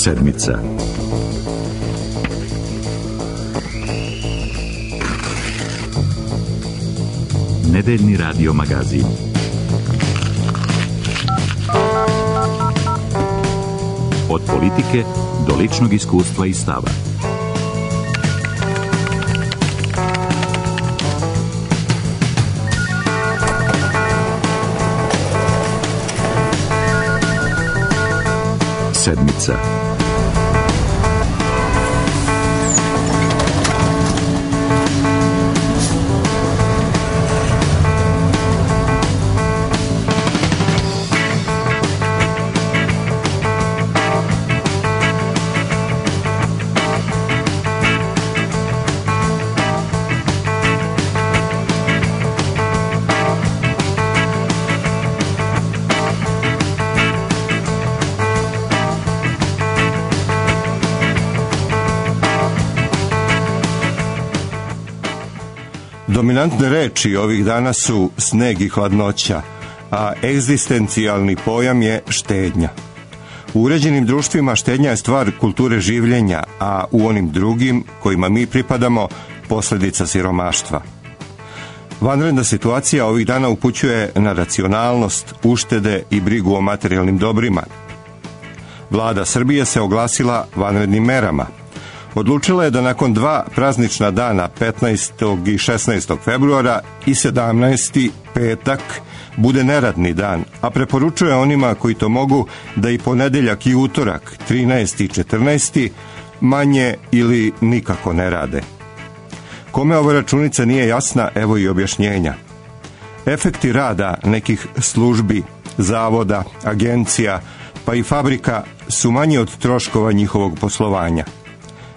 Sedmica. Nedeljni radio magazin. Od politike do ličnog iskustva i stava. Sedmica. Dominantne reči ovih dana su sneg i hladnoća, a egzistencijalni pojam je štednja. U uređenim društvima štednja je stvar kulture življenja, a u onim drugim, kojima mi pripadamo, posljedica siromaštva. Vanredna situacija ovih dana upućuje na racionalnost, uštede i brigu o materijalnim dobrima. Vlada Srbije se oglasila vanrednim merama. Odlučila je da nakon 2 praznična dana, 15. i 16. februara i 17. petak, bude neradni dan, a preporučuje onima koji to mogu da i ponedeljak i utorak, 13. i 14. manje ili nikako ne rade. Kome ova računica nije jasna, evo i objašnjenja. Efekti rada nekih službi, zavoda, agencija, pa i fabrika su manji od troškova njihovog poslovanja.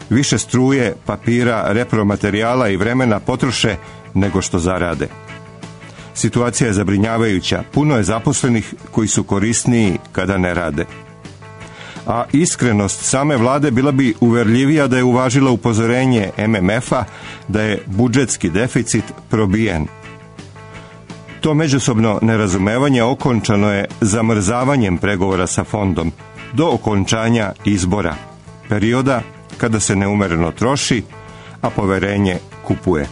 Više struje, papira, repromaterijala i vremena potroše nego što zarade. Situacija je zabrinjavajuća, puno je zaposlenih koji su korisniji kada ne rade. A iskrenost same vlade bila bi uverljivija da je uvažila upozorenje MMF-a da je budžetski deficit probijen. To međusobno nerazumevanje okončano je zamrzavanjem pregovora sa fondom do okončanja izbora, perioda kada se neumereno troši, a poverenje kupuje.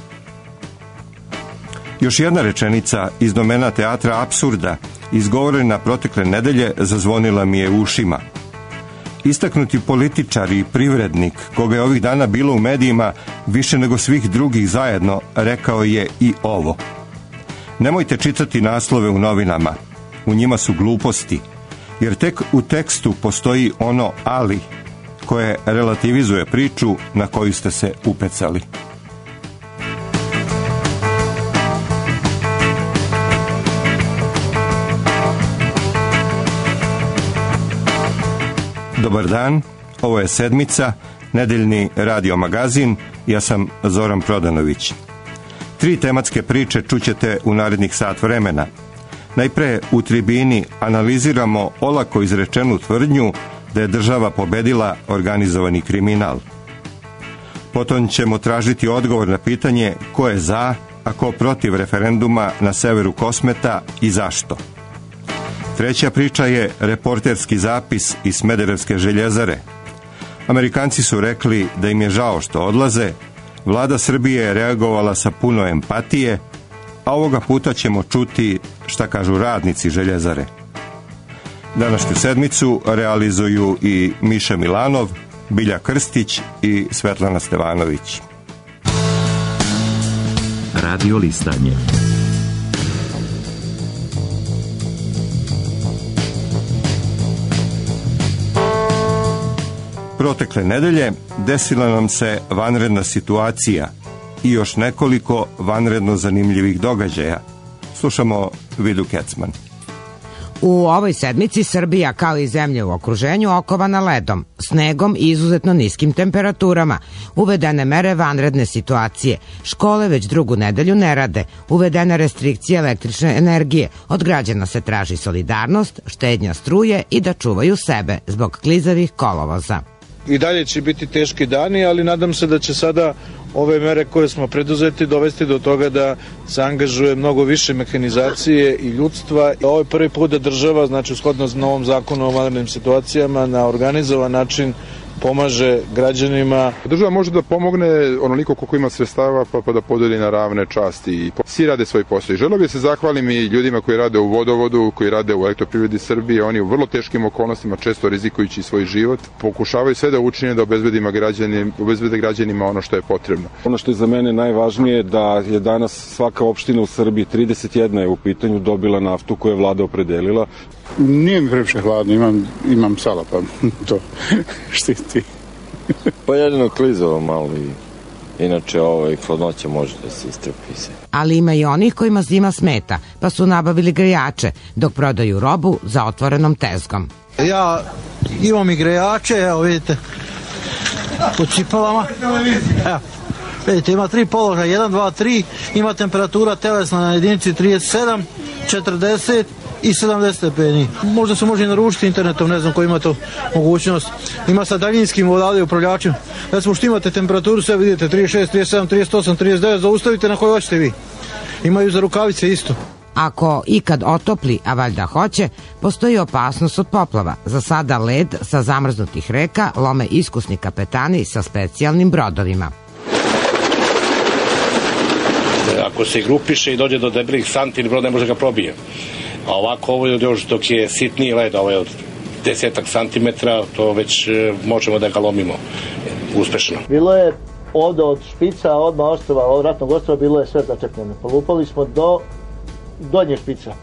Još jedna rečenica iz domena teatra apsurda, izgovorena protekle nedelje, zazvonila mi je u ušima. Istaknuti političar i privrednik, koga je ovih dana bilo u medijima više nego svih drugih zajedno, rekao je i ovo. Nemojte čitati naslove u novinama, u njima su gluposti, jer tek u tekstu postoji ono ali, koje relativizuje priču na koju ste se upecali. Dobar dan, ovo je Sedmica, nedeljni radio magazin, ja sam Zoran Prodanović. 3 tematske priče čućete u narednih sat vremena. Najpre u tribini analiziramo olako izrečenu tvrdnju da je država pobedila organizovani kriminal. Potom ćemo tražiti odgovor na pitanje ko je za, a ko protiv referenduma na severu Kosmeta i zašto. Treća priča je reporterski zapis iz Smederevske željezare. Amerikanci su rekli da im je žao što odlaze, vlada Srbije je reagovala sa puno empatije, a ovoga puta ćemo čuti šta kažu radnici željezare. Današnju sedmicu realizuju i Miša Milanov, Bilja Krstić i Svetlana Stevanović. Radio listanje. Protekle nedelje desila nam se vanredna situacija i još nekoliko vanredno zanimljivih događaja. Slušamo Vidu Kecman. U ovoj sedmici Srbija, kao i zemlje u okruženju, okovana ledom, snegom i izuzetno niskim temperaturama. Uvedene mere vanredne situacije. Škole već 2. nedelju ne rade. Uvedene restrikcije električne energije. Od građana se traži solidarnost, štednja struje i da čuvaju sebe zbog klizavih kolovoza. I dalje će biti teški dani, ali nadam se da će sada ove mere koje smo preduzeti dovesti do toga da se angažuje mnogo više mehanizacije i ljudstva. Ovo je prvi put da država, znači shodno novom zakonu o vanrednim situacijama, na organizovan način pomaže građanima. Država može da pomogne onoliko koliko ima sredstava pa da podeli na ravne časti i svi rade svoj posao. I želeo bih se zahvalim i ljudima koji rade u vodovodu, koji rade u Elektroprivredi Srbije. Oni u vrlo teškim okolnostima, često rizikujući svoj život, pokušavaju sve da učine da obezbede građanima ono što je potrebno. Ono što je za mene najvažnije da je danas svaka opština u Srbiji, 31 je u pitanju, dobila naftu koju je vlada opredelila. Nije mi previše hladno, imam sala, pa to štiti. Pa jedino klizalo malo i inače hladnoća može da se istrpi se. Ali ima i onih kojima zima smeta, pa su nabavili grejače dok prodaju robu za otvorenom tezgom. Ja imam i grejače, evo vidite, po cipelama. Evo, vidite, ima 3 položaja, 1, 2, 3, ima temperatura telesna na jedinici 37, 40 i 70 stepeni. Možda se može i naručiti internetom, ne znam ko ima to mogućnost. Ima sa daljinskim odavde upravljačem. Recimo što imate temperaturu, sve vidite, 36, 37, 38, 39, zaustavite na kojoj hoćete vi. Imaju za rukavice isto. Ako ikad otopli, a valjda hoće, postoji opasnost od poplava. Za sada led sa zamrznutih reka lome iskusni kapetani sa specijalnim brodovima. Ako se grupiše i dođe do debelih santi, brod ne može ga probije. A ovako ovo još dok je sitniji led, ovo je od 10 santimetra, to već možemo da ga lomimo uspešno. Bilo je ovde od špica, odmah ostrva, od ratnog ostrva, bilo je sve začepljeno. Polupali smo do donje špica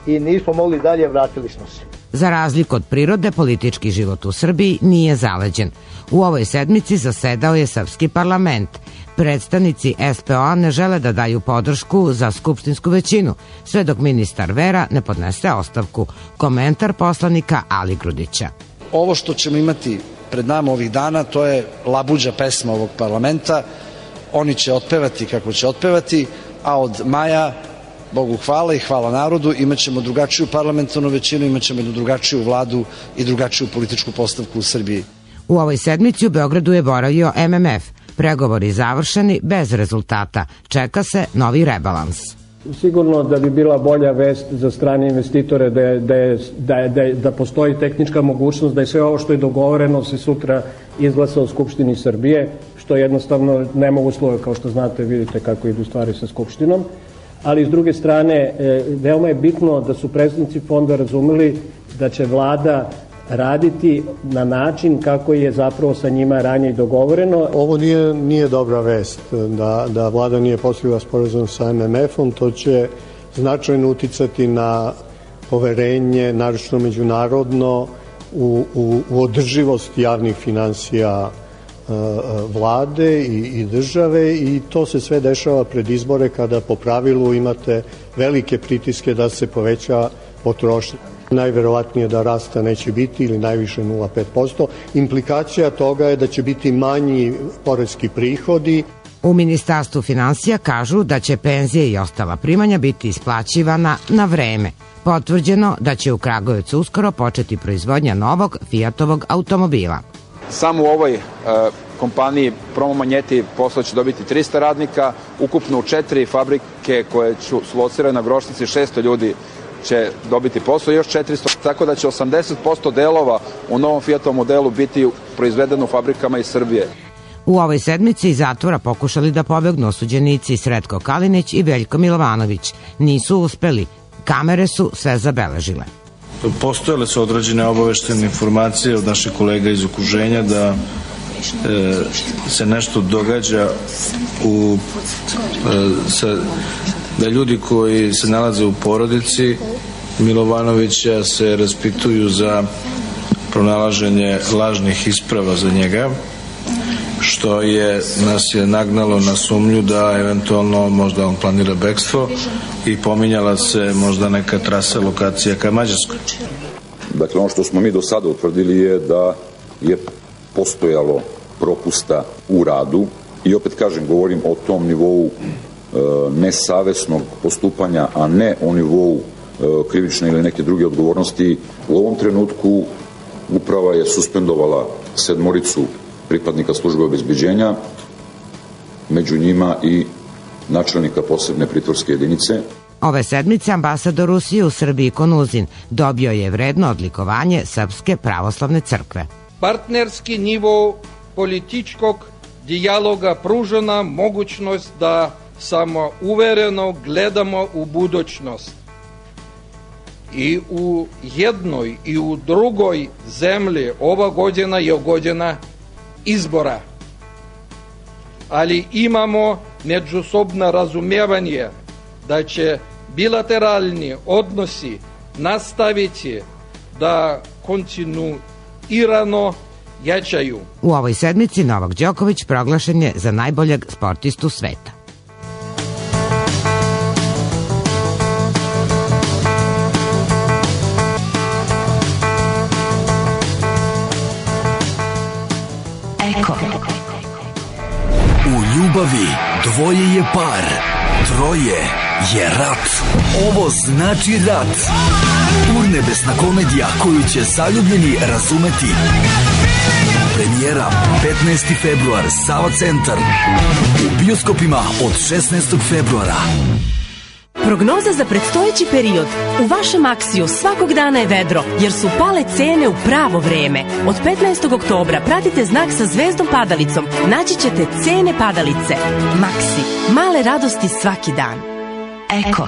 i nismo mogli dalje, vratili smo se. Za razliku od prirode, politički život u Srbiji nije zaleđen. U ovoj sedmici zasedao je srpski parlament. Predstavnici SPO ne žele da daju podršku za skupštinsku većinu, sve dok ministar Vera ne podnese ostavku. Komentar poslanika Ali Grudića. Ovo što ćemo imati pred nama ovih dana, to je labuđa pesma ovog parlamenta. Oni će otpevati kako će otpevati, a od maja, Bogu hvala i hvala narodu, imat ćemo drugačiju parlamentarnu većinu, imat ćemo jednu drugačiju vladu i drugačiju političku postavku u Srbiji. U ovoj sedmici u Beogradu je boravio MMF. Pregovori završeni bez rezultata. Čeka se novi rebalans. Sigurno da bi bila bolja vest za strane investitore da postoji tehnička mogućnost da je sve ovo što je dogovoreno se sutra izglasa u Skupštini Srbije, što jednostavno ne mogu uslove, kao što znate, vidite kako idu stvari sa Skupštinom. Ali s druge strane, veoma je bitno da su predstavnici fonda razumeli da će vlada raditi na način kako je zapravo sa njima ranije dogovoreno. Ovo nije dobra vest da vlada nije postigla sporazum sa MMF-om, to će značajno uticati na poverenje, naročito međunarodno, u održivost javnih finansija vlade i države, i to se sve dešava pred izbore kada po pravilu imate velike pritiske da se poveća potrošnja. Najverovatnije da rasta neće biti ili najviše 0,5%. Implikacija toga je da će biti manji poreski prihodi. U Ministarstvu finansija kažu da će penzije i ostala primanja biti isplaćivana na vreme. Potvrđeno da će u Kragujevcu uskoro početi proizvodnja novog Fiatovog automobila. Samo u ovoj kompaniji Promo Manjeti posao će dobiti 300 radnika, ukupno u 4 fabrike koje su locirane na Grošnici 600 ljudi će dobiti posao, još 400, tako da će 80% delova u novom Fiatovom modelu biti proizvedeno u fabrikama iz Srbije. U ovoj sedmici iz zatvora pokušali da pobegnu osuđenici Sretko Kalinić i Veljko Milovanović. Nisu uspeli, kamere su sve zabeležile. Postojale su određene obaveštene informacije od naših kolega iz okruženja da se nešto događa da ljudi koji se nalaze u porodici Milovanovića se raspituju za pronalaženje lažnih isprava za njega, što nas je nagnalo na sumnju da eventualno možda on planira bekstvo i pominjala se možda neka trasa lokacija ka Mađarskoj. Dakle, ono što smo mi do sada utvrdili je da je postojalo propusta u radu i opet kažem, govorim o tom nivou nesavesnog postupanja, a ne o nivou krivične ili neke druge odgovornosti. U ovom trenutku uprava je suspendovala 7 pripadnika službe obezbeđenja među njima i načelnika posebne pritvorske jedinice. Ove sedmice ambasador Rusije u Srbiji Konuzin dobio je vredno odlikovanje Srpske pravoslavne crkve. Partnerski nivo političkog dijaloga pruža nam mogućnost da samouvereno gledamo u budućnost. I u jednoj i u drugoj zemlji ova godina je godina izbora. Ali imamo međusobno razumijevanje da će bilateralni odnosi nastaviti da kontinuirano jačaju. U ovoj sedmici Novak Đoković proglašen je za najboljeg sportistu sveta. U ljubavi dvoje je par, troje je rat. Ovo znači rat. Urnebesna komedija koju će zaljubljeni razumeti. Premijera 15. februar, Sava centar. U bioskopima od 16. februara. Prognoza za predstojeći period. U vašem Aksiju svakog dana je vedro, jer su pale cene u pravo vreme. Od 15. oktobra pratite znak sa zvezdom padalicom. Naći ćete cene padalice. Maksi. Male radosti svaki dan. Eko.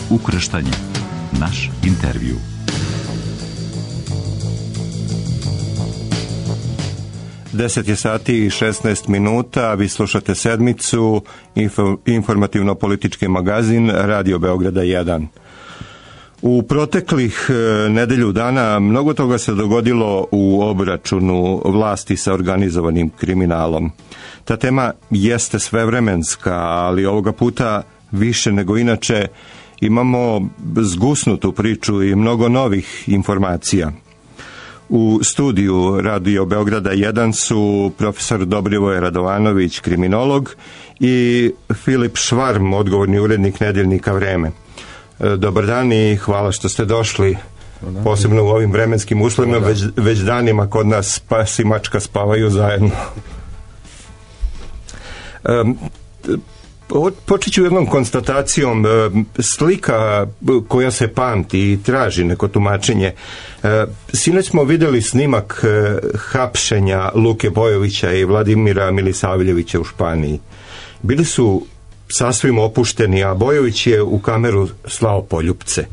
Ukrštanje. Naš intervju. Deset je sati i 16 minuta, vi slušate sedmicu, informativno-politički magazin Radio Beograda 1. U proteklih nedelju dana mnogo toga se dogodilo u obračunu vlasti sa organizovanim kriminalom. Ta tema jeste svevremenska, ali ovoga puta više nego inače imamo zgusnutu priču i mnogo novih informacija. U studiju Radio Beograda 1 su profesor Dobrivoje Radovanović, kriminolog, i Filip Švarm, odgovorni urednik nedeljnika Vreme. Dobar dan i hvala što ste došli, posebno u ovim vremenskim uslovima, već danima kod nas pas i mačka spavaju zajedno. Počet ću jednom konstatacijom. Slika koja se pamti i traži neko tumačenje. Sinoć smo vidjeli snimak hapšenja Luke Bojovića i Vladimira Milisavljevića u Španiji. Bili su sasvim opušteni, a Bojović je u kameru slao poljupce.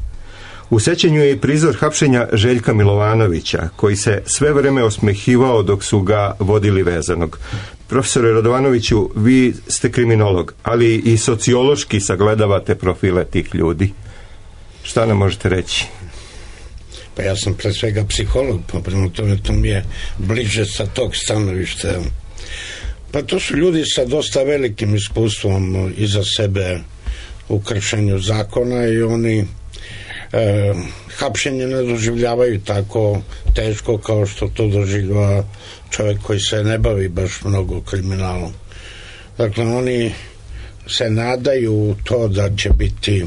U sećanju je i prizor hapšenja Željka Milovanovića, koji se sve vreme osmehivao dok su ga vodili vezanog. Profesore Radovanoviću, vi ste kriminolog, ali i sociološki sagledavate profile tih ljudi. Šta nam možete reći? Pa ja sam pre svega psiholog, pa prema tome to mi je bliže sa tog stanovišta. Pa to su ljudi sa dosta velikim iskustvom iza sebe u kršenju zakona i oni hapšenje ne doživljavaju tako teško kao što to doživljava čovjek koji se ne bavi baš mnogo kriminalom. Dakle, oni se nadaju to da će biti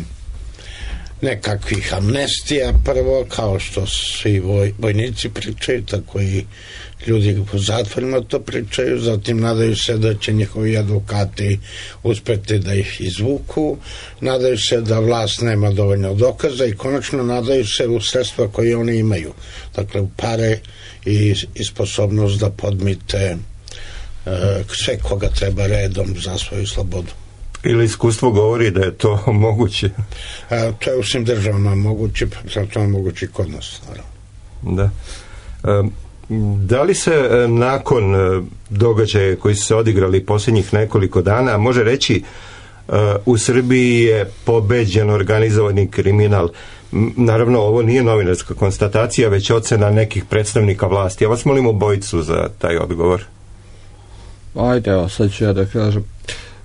nekakvih amnestija prvo, kao što svi vojnici pričaju, tako i ljudi u zatvorima to pričaju, zatim nadaju se da će njihovi advokati uspeti da ih izvuku, nadaju se da vlast nema dovoljno dokaza i konačno nadaju se u sredstva koje oni imaju, dakle u pare i sposobnost da podmite sve koga treba redom za svoju slobodu. Ili iskustvo govori da je to moguće? To je u svim državama moguće, to je moguće i kod nas, naravno. Da. Da li se nakon događaja koji su se odigrali posljednjih nekoliko dana može reći u Srbiji je pobeđen organizovani kriminal? Naravno, ovo nije novinarska konstatacija, već ocena nekih predstavnika vlasti. Ja vas molim obojicu za taj odgovor. Ajde, evo, sad ću ja da kažem.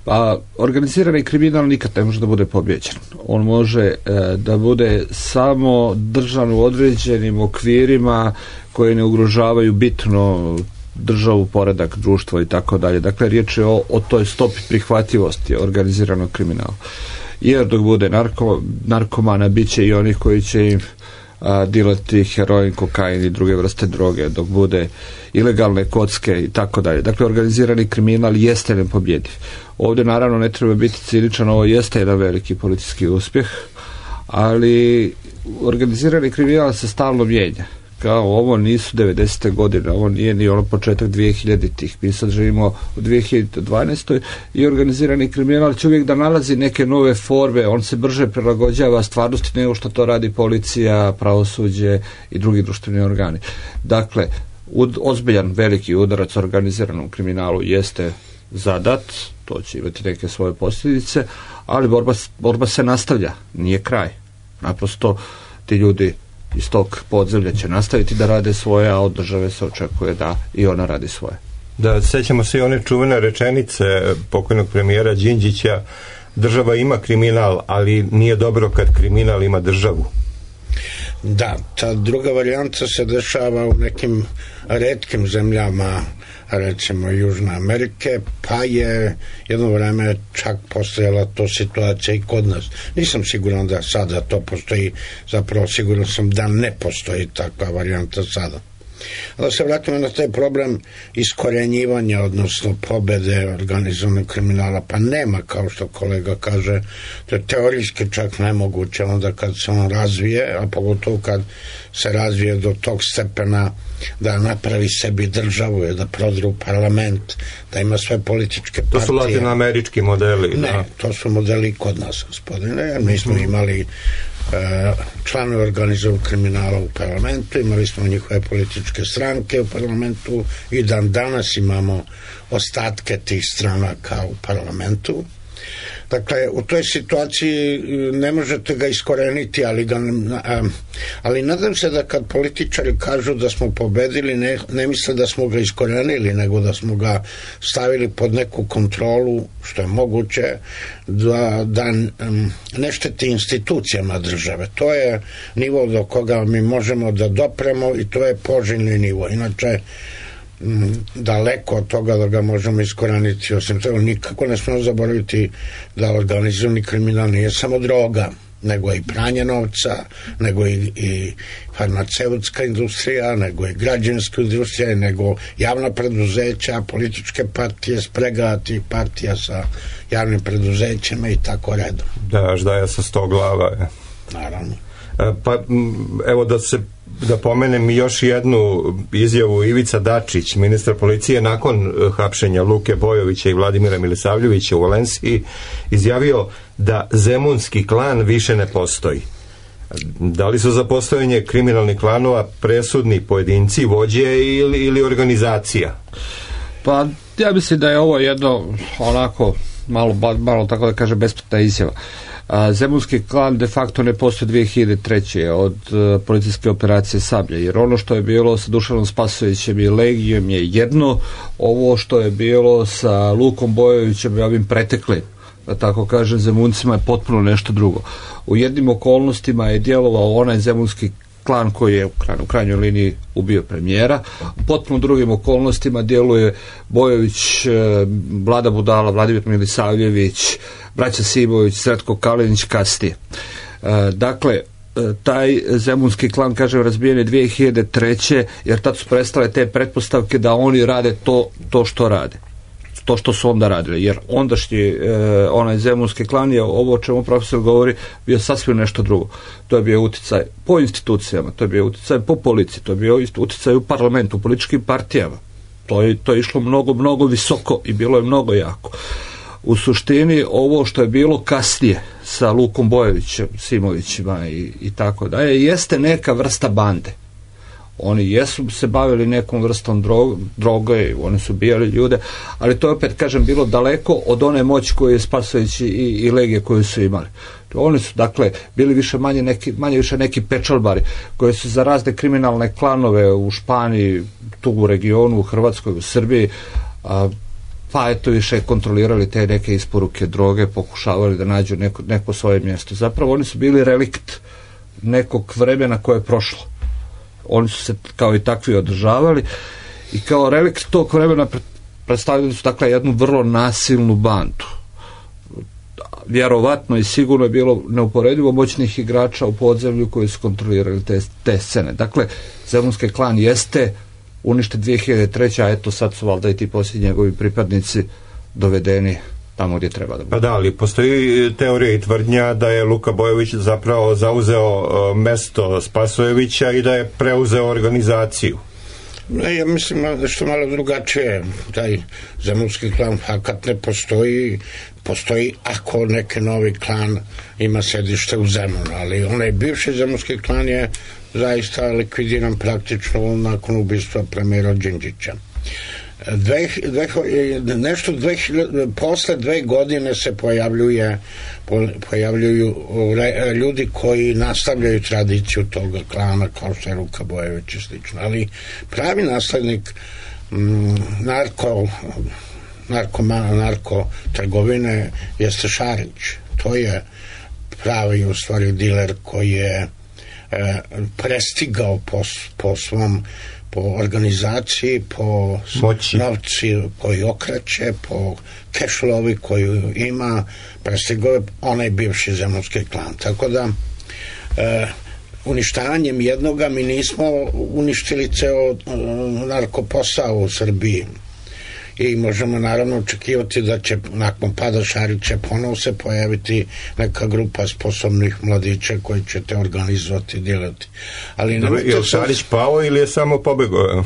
Pa, organizirani kriminal nikad ne može da bude pobjeđen. On može da bude samo držan u određenim okvirima koji ne ugrožavaju bitno državu, poredak, društvo i tako dalje. Dakle, riječ je o toj stopi prihvatljivosti organiziranog kriminala. Jer dok bude narkomana, bit će i onih koji će im dilati heroin, kokain i druge vrste droge, dok bude ilegalne kocke i tako dalje. Dakle, organizirani kriminal jeste nepobjediv. Ovdje naravno ne treba biti ciničan, ovo jeste jedan veliki policijski uspjeh, ali organizirani kriminal se stalno mijenja. Kao ovo nisu 90. godine, ovo nije ni ono početak 2000-ih. Mi sad živimo u 2012. i organizirani kriminal će uvijek da nalazi neke nove forme, on se brže prilagođava stvarnosti nego što to radi policija, pravosuđe i drugi društveni organi. Dakle, ozbiljan veliki udarac organiziranom kriminalu jeste zadat, to će imati neke svoje posljedice, ali borba se nastavlja, nije kraj. Naprosto ti ljudi iz tog podzemlja će nastaviti da rade svoje, a od države se očekuje da i ona radi svoje. Da, sećamo se i one čuvene rečenice pokojnog premijera Đinđića, država ima kriminal, ali nije dobro kad kriminal ima državu. Da, ta druga varijanta se dešava u nekim retkim zemljama, recimo Južne Amerike, pa je jedno vreme čak postojala to situacija i kod nas. Nisam siguran da sada to postoji, zapravo siguran sam da ne postoji takva varijanta sada. Da se vratimo na taj problem iskorenjivanja, odnosno pobede organizovanog kriminala, pa nema, kao što kolega kaže, to je teorijski čak nemoguće, onda kad se on razvije, a pogotovo kad se razvije do tog stepena da napravi sebi državu, da prodre u parlament, da ima sve političke partije. To su latinoamerički modeli. Ne, da. To su modeli kod nas, gospodine, jer mi smo imali članove organizovanog kriminala u parlamentu, imali smo njihove političke stranke u parlamentu i dan danas imamo ostatke tih stranaka u parlamentu. Dakle, u toj situaciji ne možete ga iskoreniti, ali nadam se da kad političari kažu da smo pobedili, ne misle da smo ga iskorenili, nego da smo ga stavili pod neku kontrolu, što je moguće, da ne šteti institucijama države. To je nivo do koga mi možemo da dopremo i to je poželjni nivo. Inače, daleko od toga da ga možemo iskoreniti. Osim toga, nikako ne smemo zaboraviti da organizovani kriminal nije samo droga, nego i pranje novca, nego i farmaceutska industrija, nego i građevinska industrija, nego javna preduzeća, političke partije, sprega tih partija sa javnim preduzećima i tako redom. Da, ždaja sa 100 glava. Naravno. Pa evo da pomenem još jednu izjavu. Ivica Dačić, ministar policije, nakon hapšenja Luke Bojovića i Vladimira Milisavljevića u Valenciji, izjavio da zemunski klan više ne postoji. Da li su za postojanje kriminalnih klanova presudni pojedinci, vođe ili organizacija? Pa ja mislim da je ovo jedno onako malo tako da kažem besplatna izjava. Zemunski klan de facto ne postoji 2003. od policijske operacije Sablja, jer ono što je bilo sa Dušanom Spasojevićem i Legijom je jedno, ovo što je bilo sa Lukom Bojovićem i ovim preteklim, da tako kažem, zemuncima je potpuno nešto drugo. U jednim okolnostima je djelovao onaj zemunski klan koji je u krajnjoj liniji ubio premijera, u potpuno drugim okolnostima djeluje Bojović, Vlada Budala, Vladimir Milisavljević, braća Simović, Sretko Kalinić, kasnije. Dakle, taj zemunski klan, kažem, razbijen je 2003. jer tad su prestale te pretpostavke da oni rade to što rade. To što su onda radili, jer ondašnji onaj zemunski klan je, ovo o čemu profesor govori, bio sasvim nešto drugo. To je bio utjecaj po institucijama, to je bio utjecaj po policiji, to je bio utjecaj u parlamentu, u političkim partijama. To je išlo mnogo visoko i bilo je mnogo jako. U suštini ovo što je bilo kasnije sa Lukom Bojovićem, Simovićima i tako dalje, jeste neka vrsta bande. Oni jesu se bavili nekom vrstom droge, oni su bijali ljude, ali to je opet, kažem, bilo daleko od one moći koju je Spasović i Legije koju su imali. Oni su, dakle, bili manje više neki pečalbari koji su za razne kriminalne klanove u Španiji, tu u regionu, u Hrvatskoj, u Srbiji, pa eto više kontrolirali te neke isporuke droge, pokušavali da nađu neko svoje mjesto. Zapravo oni su bili relikt nekog vremena koje je prošlo. Oni su se kao i takvi održavali i kao relikt tog vremena predstavljali su dakle jednu vrlo nasilnu bandu. Vjerovatno i sigurno je bilo neuporedivo moćnih igrača u podzemlju koji su kontrolirali te scene. Dakle, zemunski klan jeste uništen 2003. a eto sad su valjda i ti posljednji njegovi pripadnici dovedeni tamo gdje treba da bude. Pa da, ali postoji teorija i tvrdnja da je Luka Bojović zapravo zauzeo mesto Spasojevića i da je preuzeo organizaciju. Ja mislim nešto malo drugačije. Taj zemunski klan fakat ne postoji ako neki novi klan ima sedište u Zemunu, ali onaj bivši zemunski klan je zaista likvidiran praktično nakon ubistva premijera Đinđića. Posle 2 godine se pojavljuju ljudi koji nastavljaju tradiciju toga klana kao što je Luka Bojović i slično, ali pravi naslednik narko trgovine jeste Šarić. To je pravi u stvari diler koji je prestigao po svom, po organizaciji, po novci koji okreće, po kešlovi koju ima, prestigao je onaj bivši zemunski klan. Tako da uništavanjem jednoga mi nismo uništili ceo narkoposao u Srbiji. I možemo naravno očekivati da će nakon pada Šarića ponovo se pojaviti neka grupa sposobnih mladića koji će te organizovati i djelati. Je li Šarić pao ili je samo pobegao?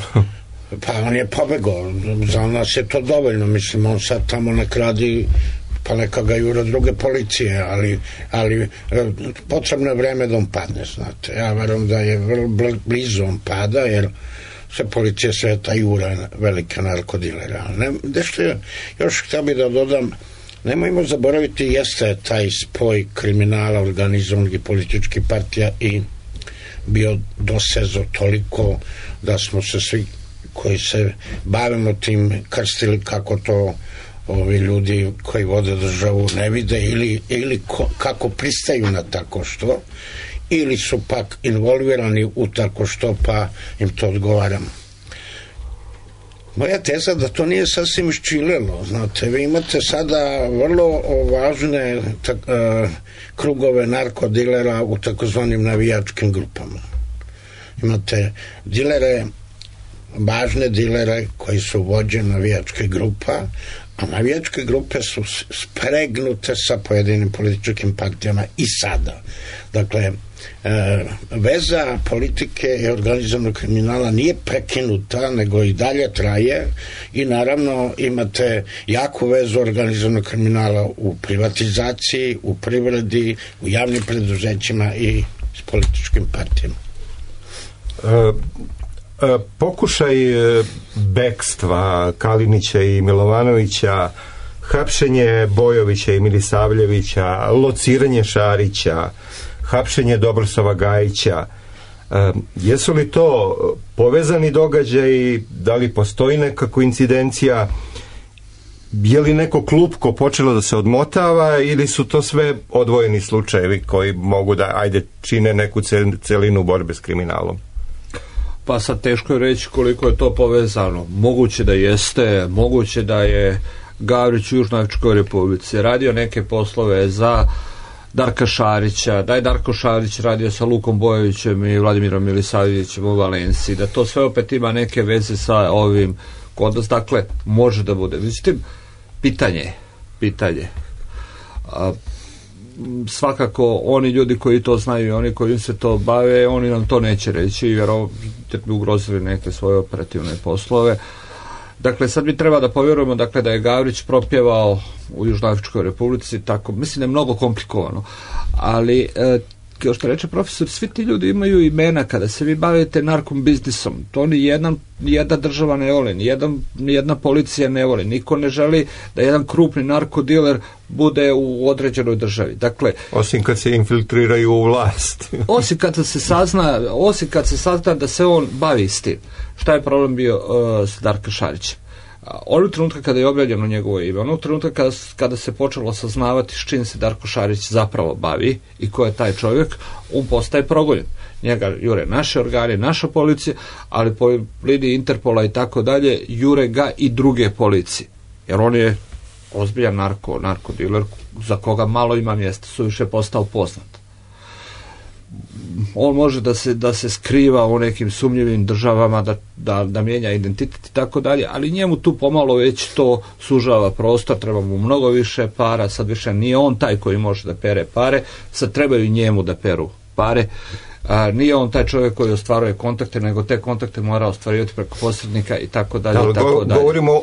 Pa on je pobegao, za nas je to dovoljno, mislim, on sad tamo nek radi, pa neka ga jura druge policije, ali potrebno je vreme da on padne, znate. Ja verujem da je vrlo blizu on pada, jer se policija sveta jura velike narkodilera. Nešto još htio bih da dodam, nemojmo zaboraviti, jeste taj spoj kriminala, organizovanog i političkih partija i bio dosezo toliko da smo se svi koji se bavimo tim krstili kako to ovi ljudi koji vode državu ne vide ili kako pristaju na tako što, ili su pak involvirani u tako što, pa im to odgovaram. Moja teza da to nije sasvim iščilelo, znate, vi imate sada vrlo važne krugove narkodilera u takozvanim navijačkim grupama. Imate dilere, važne dilere koji su vođe navijačke grupa, a navijačke grupe su spregnute sa pojedinim političkim partijama i sada. Dakle, veza politike i organizovanog kriminala nije prekinuta, nego i dalje traje i naravno imate jaku vezu organizovanog kriminala u privatizaciji, u privredi, u javnim preduzećima i s političkim partijama. Pokušaj bekstva Kalinića i Milovanovića, hapšenje Bojovića i Milisavljevića, lociranje Šarića, hapšenje Dobrosava Gajića, jesu li to povezani događaji, da li postoji neka koincidencija, je li neko klupko počelo da se odmotava ili su to sve odvojeni slučajevi koji mogu da čine neku celinu borbe s kriminalom? Pa sad teško je reći koliko je to povezano. Moguće da jeste, moguće da je Gavrić u Južnoafričkoj Republici radio neke poslove za Darka Šarića, da je Darko Šarić radio sa Lukom Bojovićem i Vladimirom Milisavljevićem u Valenciji, da to sve opet ima neke veze sa ovim kodom, dakle može da bude. Međutim, pitanje. Svakako oni ljudi koji to znaju i oni koji se to bave, oni nam to neće reći jer bi ugrozili neke svoje operativne poslove. Dakle, sad bi treba da povjerujemo da je Gavrić propjevao u Južnoafričkoj Republici, tako, mislim da je mnogo komplikovano, ali kao što reče profesor, svi ti ljudi imaju imena. Kada se vi bavite narkom biznisom, to nijedna država ne voli, nijedna policija ne voli, niko ne želi da jedan krupni narkodiler bude u određenoj državi. Dakle, osim kad se infiltriraju u vlast. osim kad se sazna da se on bavi s tim. Šta je problem bio s Darka Šarićem? Onog trenutka kada je objavljeno njegovo ime, onog trenutka kada se počelo saznavati s čim se Darko Šarić zapravo bavi i ko je taj čovjek, on postaje progonjen. njega jure naše organe, naša policija, ali po liniji Interpola i tako dalje jure ga i druge policije, jer on je ozbiljan narkodiler za koga malo ima mjesta, suviše postao poznat. On može da se skriva u nekim sumnjivim državama, da mijenja identitet i tako dalje, ali njemu tu pomalo već to sužava prostor, treba mu mnogo više para, sad više nije on taj koji može da pere pare, sad trebaju njemu da peru pare. Nije on taj čovjek koji ostvaruje kontakte, nego te kontakte mora ostvarivati preko posrednika i tako dalje. Govorimo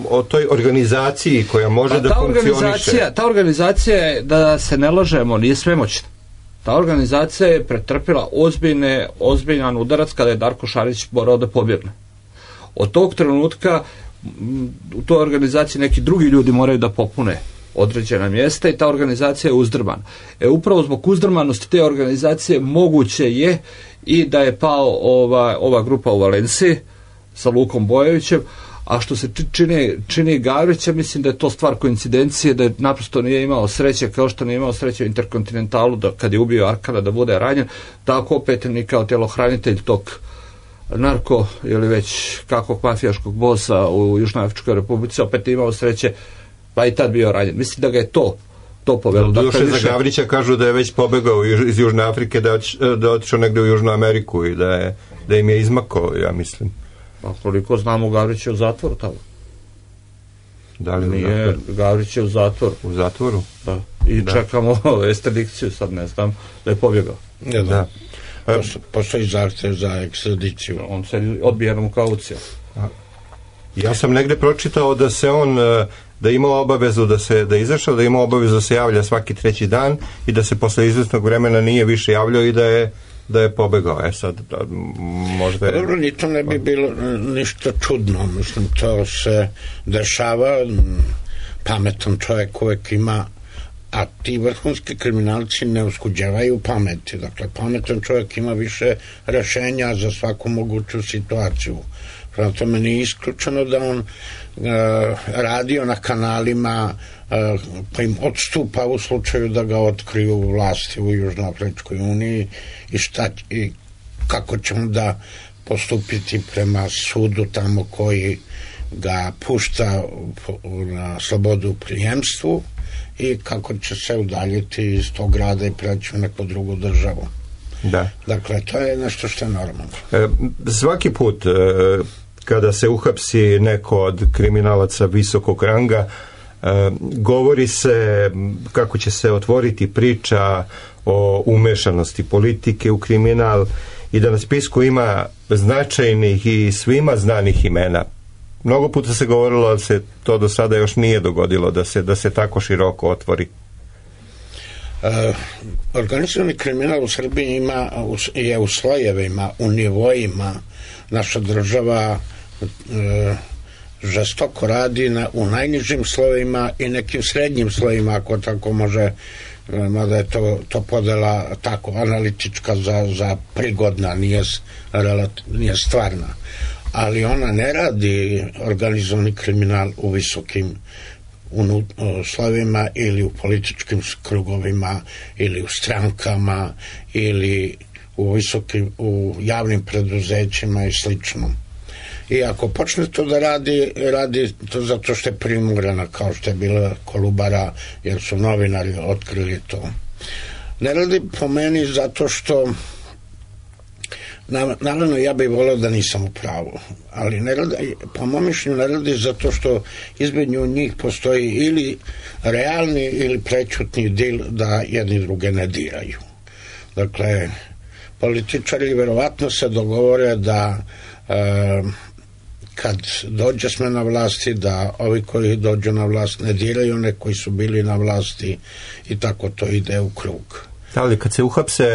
o toj organizaciji koja može da funkcioniše. Ta organizacija je, da se ne lažemo, nije svemoćna. Ta organizacija je pretrpila ozbiljan udarac kada je Darko Šarić morao da pobjegne. Od tog trenutka u toj organizaciji neki drugi ljudi moraju da popune određena mjesta i ta organizacija je uzdrmana. Upravo zbog uzdrmanosti te organizacije moguće je i da je pao ova grupa u Valenciji sa Lukom Bojovićem, a što se čini Gavrića, mislim da je to stvar koincidencije, da je naprosto nije imao sreće, kao što nije imao sreće u Interkontinentalu kad je ubio Arkana da bude ranjen, tako opet ni kao tjelohranitelj tog narko ili već kakvog mafijaškog bosa u Južnoafričkoj Republici opet imao sreće, pa i tad bio ranjen. Mislim da ga je to povelo. Doduše za Gavrića kažu da je već pobegao iz Južne Afrike, da je otišao negde u Južnu Ameriku i da im je izmakao, ja mislim. Pa koliko znamo, Gavrić je u zatvoru tamo. Da li nije? Gavrić je u zatvoru. U zatvoru? Da. I čekamo ekstradikciju, sad ne znam, da je pobjegao. Da. Postoji zahtev za ekstradiciju. On se odbijenom kaucijom. Ja sam negde pročitao da se on, da ima obavezu da je izašao, da ima obavezu da se javlja svaki 3. dan i da se posle izvesnog vremena nije više javljao i da je pobegao. Sad možda je... Dobro, ni to ne bi bilo ništa čudno. Mislim, to se dešava. Pametan čovjek uvek ima, a ti vrhunski kriminalci ne uskuđevaju pameti. Dakle, pametan čovjek ima više rešenja za svaku moguću situaciju. Prema tome nije isključeno da on radio na kanalima pa im odstupa u slučaju da ga otkriju vlasti u Južnoafričkoj uniji i kako će onda postupiti prema sudu tamo koji ga pušta na slobodu u prijemstvu i kako će se udaljiti iz tog grada i preći u neku drugu državu. Da. Dakle, to je nešto što je normalno. Svaki put kada se uhapsi neko od kriminalaca visokog ranga, govori se kako će se otvoriti priča o umešanosti politike u kriminal i da na spisku ima značajnih i svima znanih imena. Mnogo puta se govorilo da se to do sada još nije dogodilo, da se tako široko otvori. Organizovani kriminal u Srbiji je u slojevima, u nivoima. Naša država žestoko radi u najnižim slojevima i nekim srednjim slojevima, ako tako može, mada je to podela tako analitička za prigodna, nije stvarna. Ali ona ne radi organizovani kriminal u visokim slojevima ili u političkim krugovima ili u strankama ili u javnim preduzećima i slično. I ako počne to da radi to zato što je primorana, kao što je bila Kolubara, jer su novinari otkrili to. Ne radi po meni zato što, naravno ja bih voleo da nisam u pravu, ali ne radi, po mom mišljenju ne radi zato što između njih postoji ili realni ili prećutni dil da jedni druge ne diraju. Dakle, političari verovatno se dogovore da kad dođe smena vlasti, da ovi koji dođu na vlast ne diraju one koji su bili na vlasti i tako to ide u krug. Ali kad se uhapse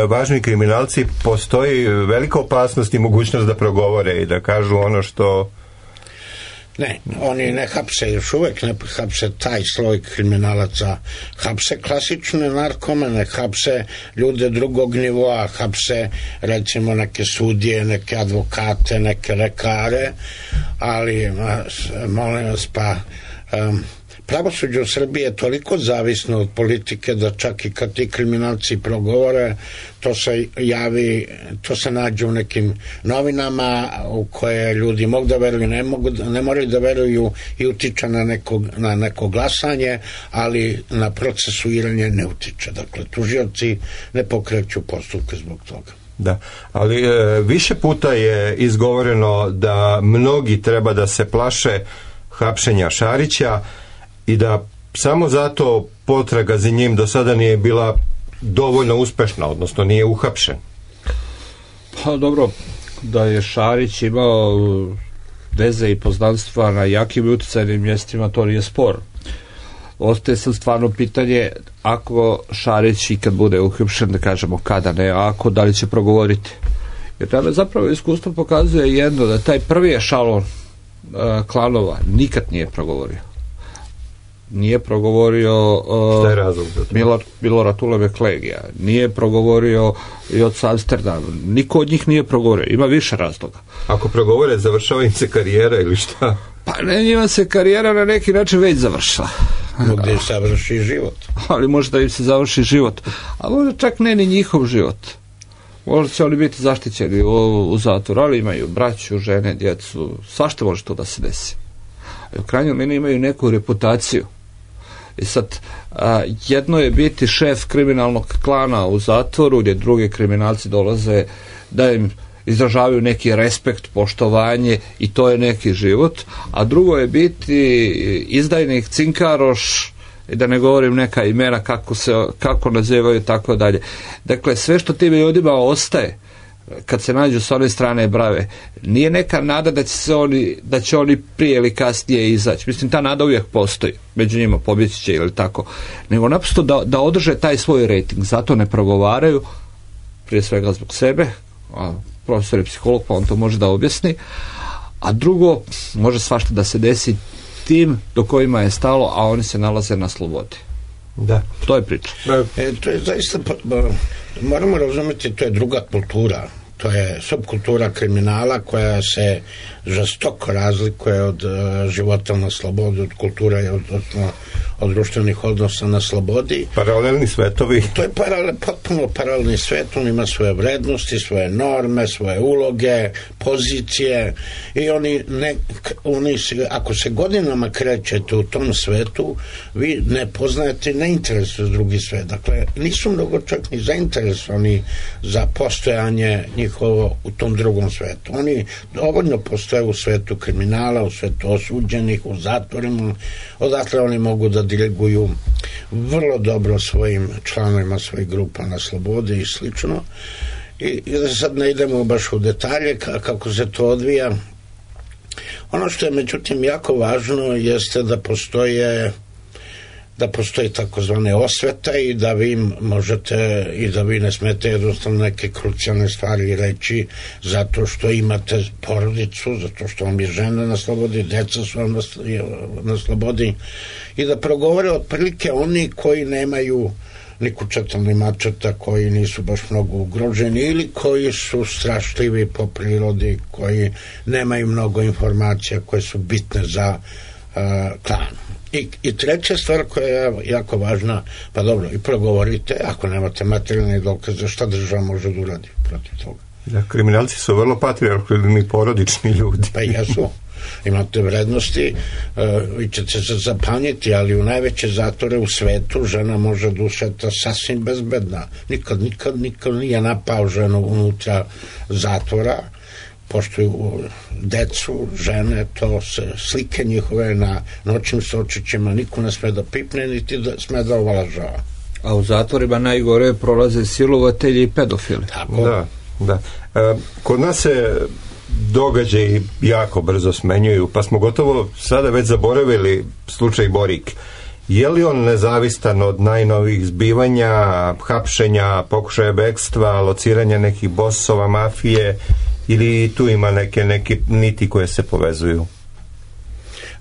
važni kriminalci, postoji velika opasnost i mogućnost da progovore i da kažu ono što... Ne, oni ne hapse, još uvek ne hapse taj sloj kriminalaca, hapse klasične narkomane, hapse ljude drugog nivoa, hapse recimo neke sudije, neke advokate, neke lekare, ali molim vas, pa pravosuđe u Srbiji je toliko zavisno od politike da čak i kad ti kriminalci progovore, to se javi, to se nađe u nekim novinama u koje ljudi mogu da veruju, ne moraju da veruju i utiče na neko glasanje, ali na procesuiranje ne utiče. Dakle, tužioci ne pokreću postupke zbog toga. Da, ali više puta je izgovoreno da mnogi treba da se plaše hapšenja Šarića i da samo zato potraga za njim do sada nije bila dovoljno uspešna, odnosno nije uhapšen. Pa dobro, da je Šarić imao veze i poznanstva na jakim i uticajnim mjestima, to nije spor. Ostaje sad stvarno pitanje, ako Šarić i kad bude uhapšen, da kažemo kada ne, ako da li će progovoriti. Jer tada zapravo iskustvo pokazuje jedno, da taj prvi ešalon klanova nikad nije progovorio. Nije progovorio Milorad Ulebe Klegija, nije progovorio i od Amsterdama, niko od njih nije progovorio, ima više razloga. Ako progovore, završava im se karijera ili šta? Pa ne, njima se karijera na neki način već završila. Možda im se završi život. Ali možda im se završi život, a možda čak ne ni njihov život. Možda će oni biti zaštićeni u zatvoru, ali imaju braću, žene, djecu, svašta može to da se desi. U krajnjoj liniji imaju neku reputaciju. I sad, jedno je biti šef kriminalnog klana u zatvoru, gdje drugi kriminalci dolaze da im izražavaju neki respekt, poštovanje i to je neki život, a drugo je biti izdajnik, cinkaroš, i da ne govorim neka imena kako nazivaju, tako dalje. Dakle, sve što tim ljudima ostaje kad se nađu s one strane brave, nije neka nada da će oni prije ili kasnije izaći. Mislim, ta nada uvijek postoji, među njima pobjeći će ili tako, nego naprosto da održe taj svoj rating, zato ne progovaraju, prije svega zbog sebe, a profesor je psiholog, pa on to može da objasni, a drugo, može svašta da se desi tim do kojima je stalo, a oni se nalaze na slobodi. Da. To je priča. To je zaista, moramo razumjeti, to je druga kultura. To je subkultura kriminala koja se žestoko razlikuje od života na slobodi, od kulture, od društvenih odnosa na slobodi. Paralelni svetovi. To je potpuno paralelni svet, on ima svoje vrednosti, svoje norme, svoje uloge, pozicije i ako se godinama krećete u tom svetu, vi ne poznajete, ne interesuje drugi svet. Dakle, nisu mnogo čak ni zainteresovani za postojanje njihovo u tom drugom svetu. Oni dovoljno postoje u svetu kriminala, u svetu osuđenih, u zatvorima, odatle oni mogu da diriguju vrlo dobro svojim članovima svojih grupa na slobodi i slično. I da sad ne idemo baš u detalje kako se to odvija. Ono što je međutim jako važno jeste da postoji takozvane osvete i da vi možete i da vi ne smete jednostavno neke krucijalne stvari reći zato što imate porodicu, zato što vam je žena na slobodi, deca su vam na slobodi i da progovore otprilike oni koji nemaju ni kučeta ni mačeta, koji nisu baš mnogo ugroženi ili koji su strašljivi po prirodi, koji nemaju mnogo informacija koje su bitne za klan. I treća stvar koja je jako važna, pa dobro, i progovorite, ako nemate materijalne dokaze, šta država može da uradi protiv toga? Da, kriminalci su vrlo patrijarhalni, porodični ljudi. Pa jesu. Imate vrednosti, vi ćete se zapanjiti, ali u najveće zatvore u svetu žena može da ušeta sasvim bezbedna. Nikad nije napao ženu unutra zatvora, poštuju decu, žene, to se slike njihove na noćnim sočićima, niko ne sme da pipne, niti da sme da ovalažava. A u zatvorima najgore prolaze silovatelji i pedofili. Tako. Da. Kod nas se događaji jako brzo smenjuju, pa smo gotovo sada već zaboravili slučaj Borik. Je li on nezavistan od najnovijih zbivanja, hapšenja, pokušaja bekstva, lociranja nekih bosova mafije, ili tu ima neke niti koje se povezuju?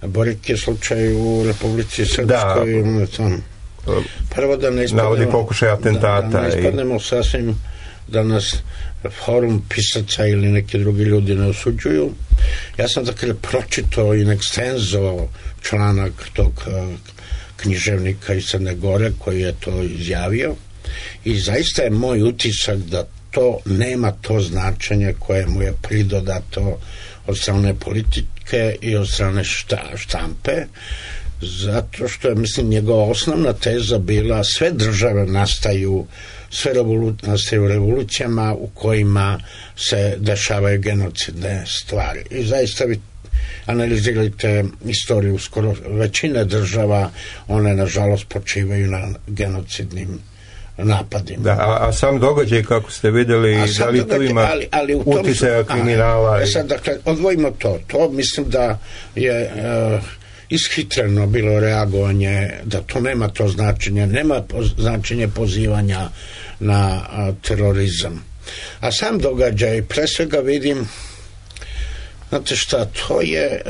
Borik je slučaj u Republici Srpskoj. Prvo da ne ispadnemo, navodi pokušaj atentata. Da ne ispadnemo sasvim da nas forum pisaca ili neki drugi ljudi ne osuđuju. Ja sam dakle pročitao in extenso članak tog književnika iz Crne Gore koji je to izjavio i zaista je moj utisak da to nema to značenje koje mu je pridodato od strane politike i od strane štampe, zato što je, mislim, njegova osnovna teza bila sve države nastaju revolucijama u kojima se dešavaju genocidne stvari. I zaista vi analizirajte istoriju skoro većine država, one nažalost počivaju na genocidnim napadima. Da, a sam događaj, kako ste vidjeli, da li to ima uticaja kriminala? Sad, dakle, odvojimo to. To mislim da je ishitreno bilo reagovanje, da to nema to značenje, nema značenje pozivanja na terorizam. A sam događaj, pre svega vidim, znate šta, to je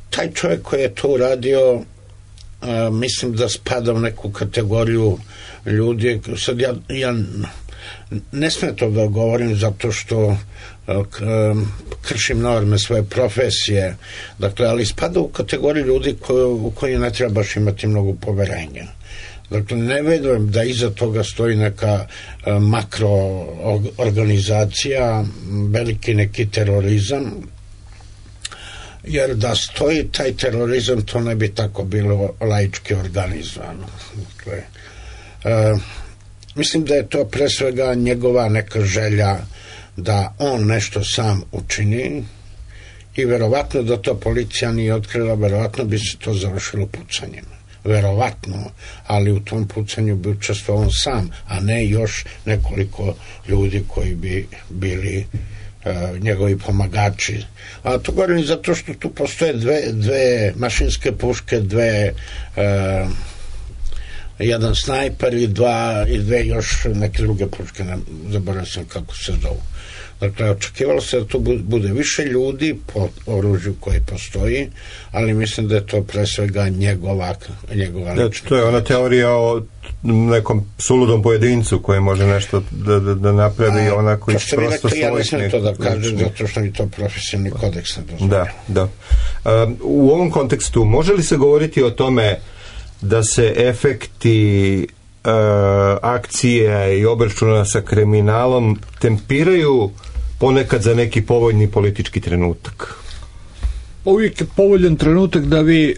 taj čovjek koji je to uradio, mislim da spada u neku kategoriju ljudi. Sad ja ne smem to da govorim zato što kršim norme svoje profesije, dakle, ali spada u kategoriju ljudi u koji ne treba baš imati mnogo poverenja. Dakle, ne verujem da iza toga stoji neka makro organizacija, veliki neki terorizam, jer da stoji taj terorizam, to ne bi tako bilo laički organizovano. Dakle, mislim da je to pre svega njegova neka želja da on nešto sam učini i verovatno da to policija nije otkrila, verovatno bi se to završilo pucanjem. Verovatno, ali u tom pucanju bi učestvovao on sam, a ne još nekoliko ljudi koji bi bili njegovi pomagači. A to govorim zato što tu postoje dve mašinske puške, jedan snajper i dve još neke druge puške, zaboravio sam kako se zovu. Dakle, očekivalo se da tu bude više ljudi po oružju koji postoji, ali mislim da je to pre svega njegova lična. To je ona teorija o nekom suludom pojedincu koji može nešto da napravi onako iz prosto svojih. Ja ne smijem to da kažem zato što mi to profesionalni kodeks ne dozvoljava. Da. U ovom kontekstu može li se govoriti o tome da se efekti akcije i obračuna sa kriminalom tempiraju ponekad za neki povoljni politički trenutak? Uvijek je povoljan trenutak da vi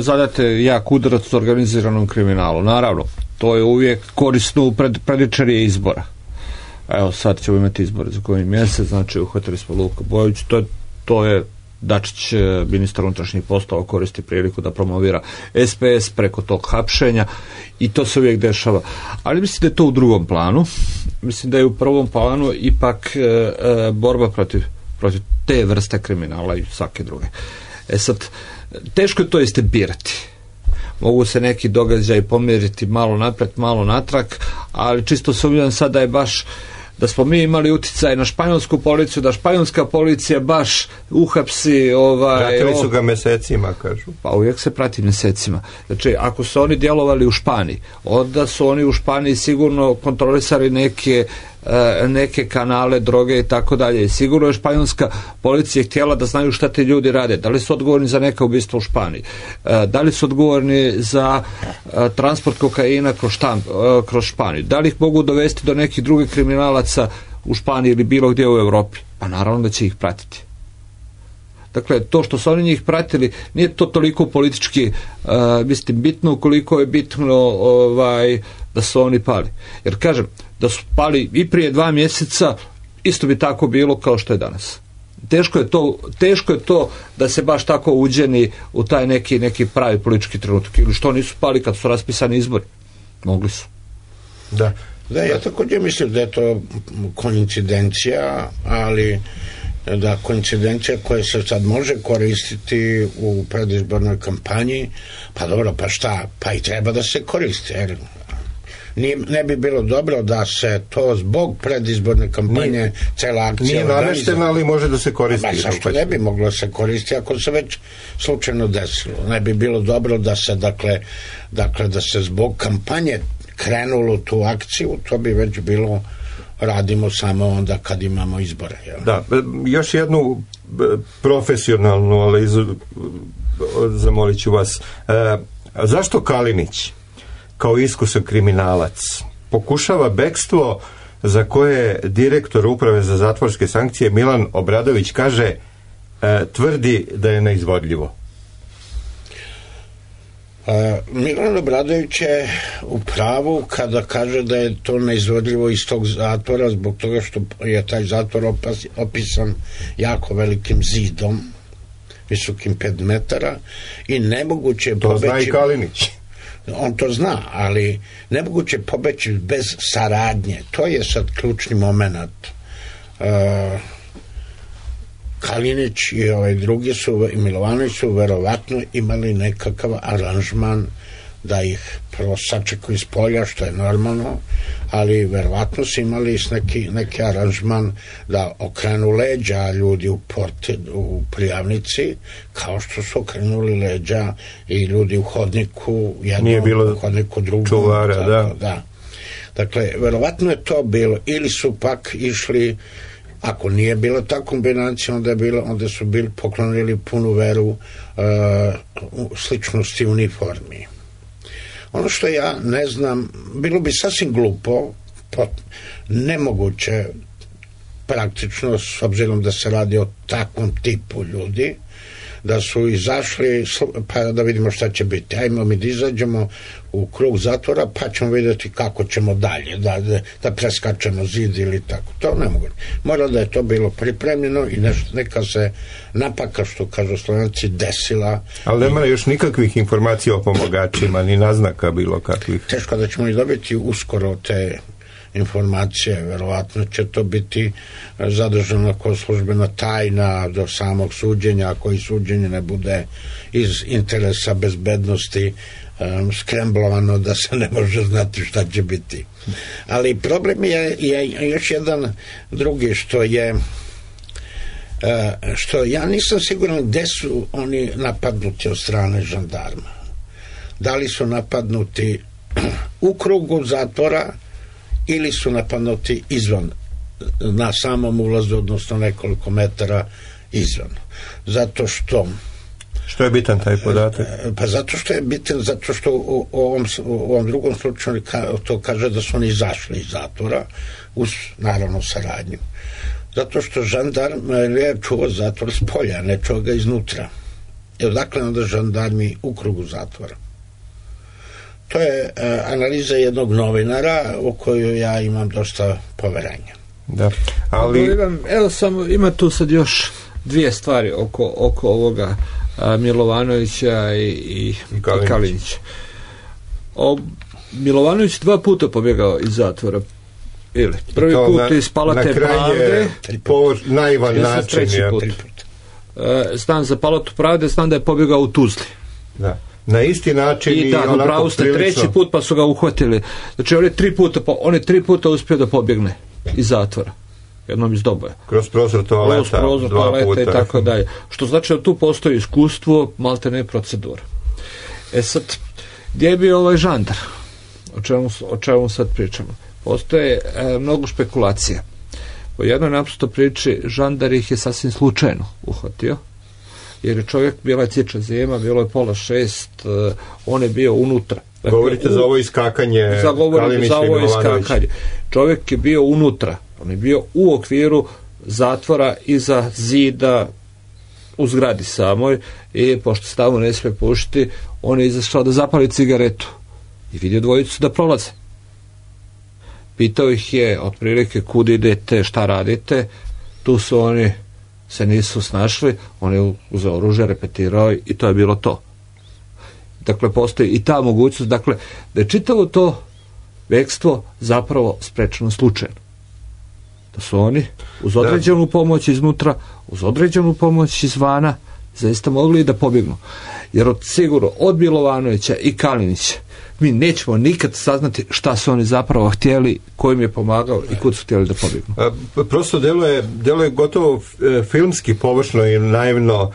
zadate jak udarac organiziranom kriminalu. Naravno, to je uvijek korisno u predičarije izbora. Evo, sad ćemo imati izbore za koji mjesec, znači uhvatili smo Luka Bojović, to je Dačić, ministar unutrašnjih poslova, koristi priliku da promovira SPS preko tog hapšenja i to se uvijek dešava. Ali mislim da je to u drugom planu. Mislim da je u prvom planu ipak borba protiv te vrste kriminala i svake druge. Sad, teško je to istempirati. Mogu se neki događaj pomjeriti malo napred, malo natrag, ali čisto sumnjam sad da je baš da smo mi imali uticaj na španjolsku policiju, da španjolska policija baš uhapsi pratili su ga mjesecima, kažu. Pa uvijek se prati mjesecima. Znači, ako su oni djelovali u Španiji, onda su oni u Španiji sigurno kontrolisali neke kanale, droge i tako dalje. Sigurno je španjolska policija htjela da znaju šta ti ljudi rade. Da li su odgovorni za neka ubistva u Španiji? Da li su odgovorni za transport kokaina kroz Španiju? Da li ih mogu dovesti do nekih drugih kriminalaca u Španiji ili bilo gdje u Europi? Pa naravno da će ih pratiti. Dakle, to što su oni njih pratili, nije to toliko politički bitno koliko je bitno da su oni pali. Jer kažem, da su pali i prije 2 mjeseca, isto bi tako bilo kao što je danas. Teško je to da se baš tako uđeni u taj neki pravi politički trenutak. Ili što nisu pali kad su raspisani izbori? Mogli su. Da, ja također mislim da je to koincidencija, ali da koincidencija koja se sad može koristiti u predizbornoj kampanji, pa dobro, pa šta, pa i treba da se koristi, jer ne bi bilo dobro da se to zbog predizborne kampanje cela akcija nije nameštena, ali može da se koristi. Zašto ne bi moglo se koristiti ako se već slučajno desilo? Ne bi bilo dobro da se dakle da se zbog krenulo tu akciju, to bi već bilo radimo samo onda kad imamo izbore. Jel? Da, još jednu profesionalnu analizu zamolit ću vas. Zašto Kalinić kao iskusan kriminalac pokušava bekstvo za koje direktor Uprave za zatvorske sankcije Milan Obradović kaže tvrdi da je neizvodljivo? Milan Obradović je u pravu kada kaže da je to neizvodljivo iz tog zatvora zbog toga što je taj zatvor opisan jako velikim zidom visokim 5 metara i nemoguće je pobeći. To zna i Kalinić. On to zna, ali nemoguće je pobeći bez saradnje. To je sad ključni moment. Kalinić i drugi i Milovanović su verovatno imali nekakav aranžman da ih prvo sačekaju iz polja, što je normalno, ali verovatno su imali neki aranžman da okrenu leđa ljudi u prijavnici, kao što su okrenuli leđa i ljudi u hodniku, jednom u hodniku drugom. Čuvara, da. Dakle, verovatno je to bilo, ili su pak išli. Ako nije bila ta kombinacija, onda su bili poklonili punu veru sličnosti uniformi. Ono što ja ne znam, bilo bi sasvim glupo, nemoguće praktično, s obzirom da se radi o takvom tipu ljudi, da su izašli pa da vidimo šta će biti. Ajmo mi da izađemo u krug zatvora pa ćemo vidjeti kako ćemo dalje, da preskačemo zid ili tako. To ne mogu. Mora da je to bilo pripremljeno i neka se napaka, što kažu Slovenci, desila. Ali nema još nikakvih informacija o pomogačima, ni naznaka bilo kakvih. Teško da ćemo i dobiti uskoro te informacije, verovatno će to biti zadržano kao službena tajna do samog suđenja, ako i suđenje ne bude iz interesa bezbednosti skremblovano da se ne može znati šta će biti. Ali problem je još jedan drugi, što ja nisam siguran gde su oni napadnuti od strane žandarma. Da li su napadnuti u krugu zatvora ili su napadnuti izvan, na samom ulazu, odnosno nekoliko metara izvan. Zato što... Što je bitan taj podatak? Pa zato što je bitan, zato što u ovom drugom slučaju to kaže da su oni izašli iz zatvora, uz naravno saradnju. Zato što žandarm je čuvao zatvor s polja, ne čuva ga iznutra. I odakle onda žandarmi u krugu zatvora? To je analiza jednog novinara u koju ja imam dosta poverenja. Da, ali... Evo samo, ima tu sad još dvije stvari oko ovoga Milovanovića i Kalinića. Milovanović 2 puta pobjegao iz zatvora. Prvi put iz Palate Pravde. Po naivan način. Znam za Palatu Pravde, znam da je pobjegao u Tuzli. Da. Na isti način i onako prilično. Treći put pa su ga uhvatili. Znači on je 3 puta uspio da pobjegne iz zatvora. Jednom iz Doboja. Kroz prozor toaleta, 2 puta. I tako dalje. Što znači da tu postoji iskustvo, malte ne procedura. Sad, gdje je bio ovaj žandar? O čemu sad pričamo? Postoje mnogo špekulacija. Po jednoj naprosto priči žandar ih je sasvim slučajno uhvatio, jer je čovjek, bila je ciča zima, bilo je 5:30, on je bio unutra. Dakle, govorite za ovo iskakanje Kalinića i Milovanovića. Čovjek je bio unutra, on je bio u okviru zatvora iza zida u zgradi samoj i pošto se tamo ne smije pušiti, on je izašao da zapali cigaretu i vidio dvojicu da prolaze. Pitao ih je otprilike kud idete, šta radite, tu su oni se nisu snašli, on je uzeo oružje, repetirao i to je bilo to. Dakle, postoji i ta mogućnost, dakle, da je čitavo to bekstvo zapravo sprečeno slučajno. Da su oni uz određenu pomoć iznutra, uz određenu pomoć izvana, zaista mogli da pobjegnu. Jer sigurno od Milovanovića i Kalinića mi nećemo nikad saznati šta su oni zapravo htjeli, ko im je pomagao i kud su htjeli da pobjegnu. Prosto deluje gotovo filmski površno i naivno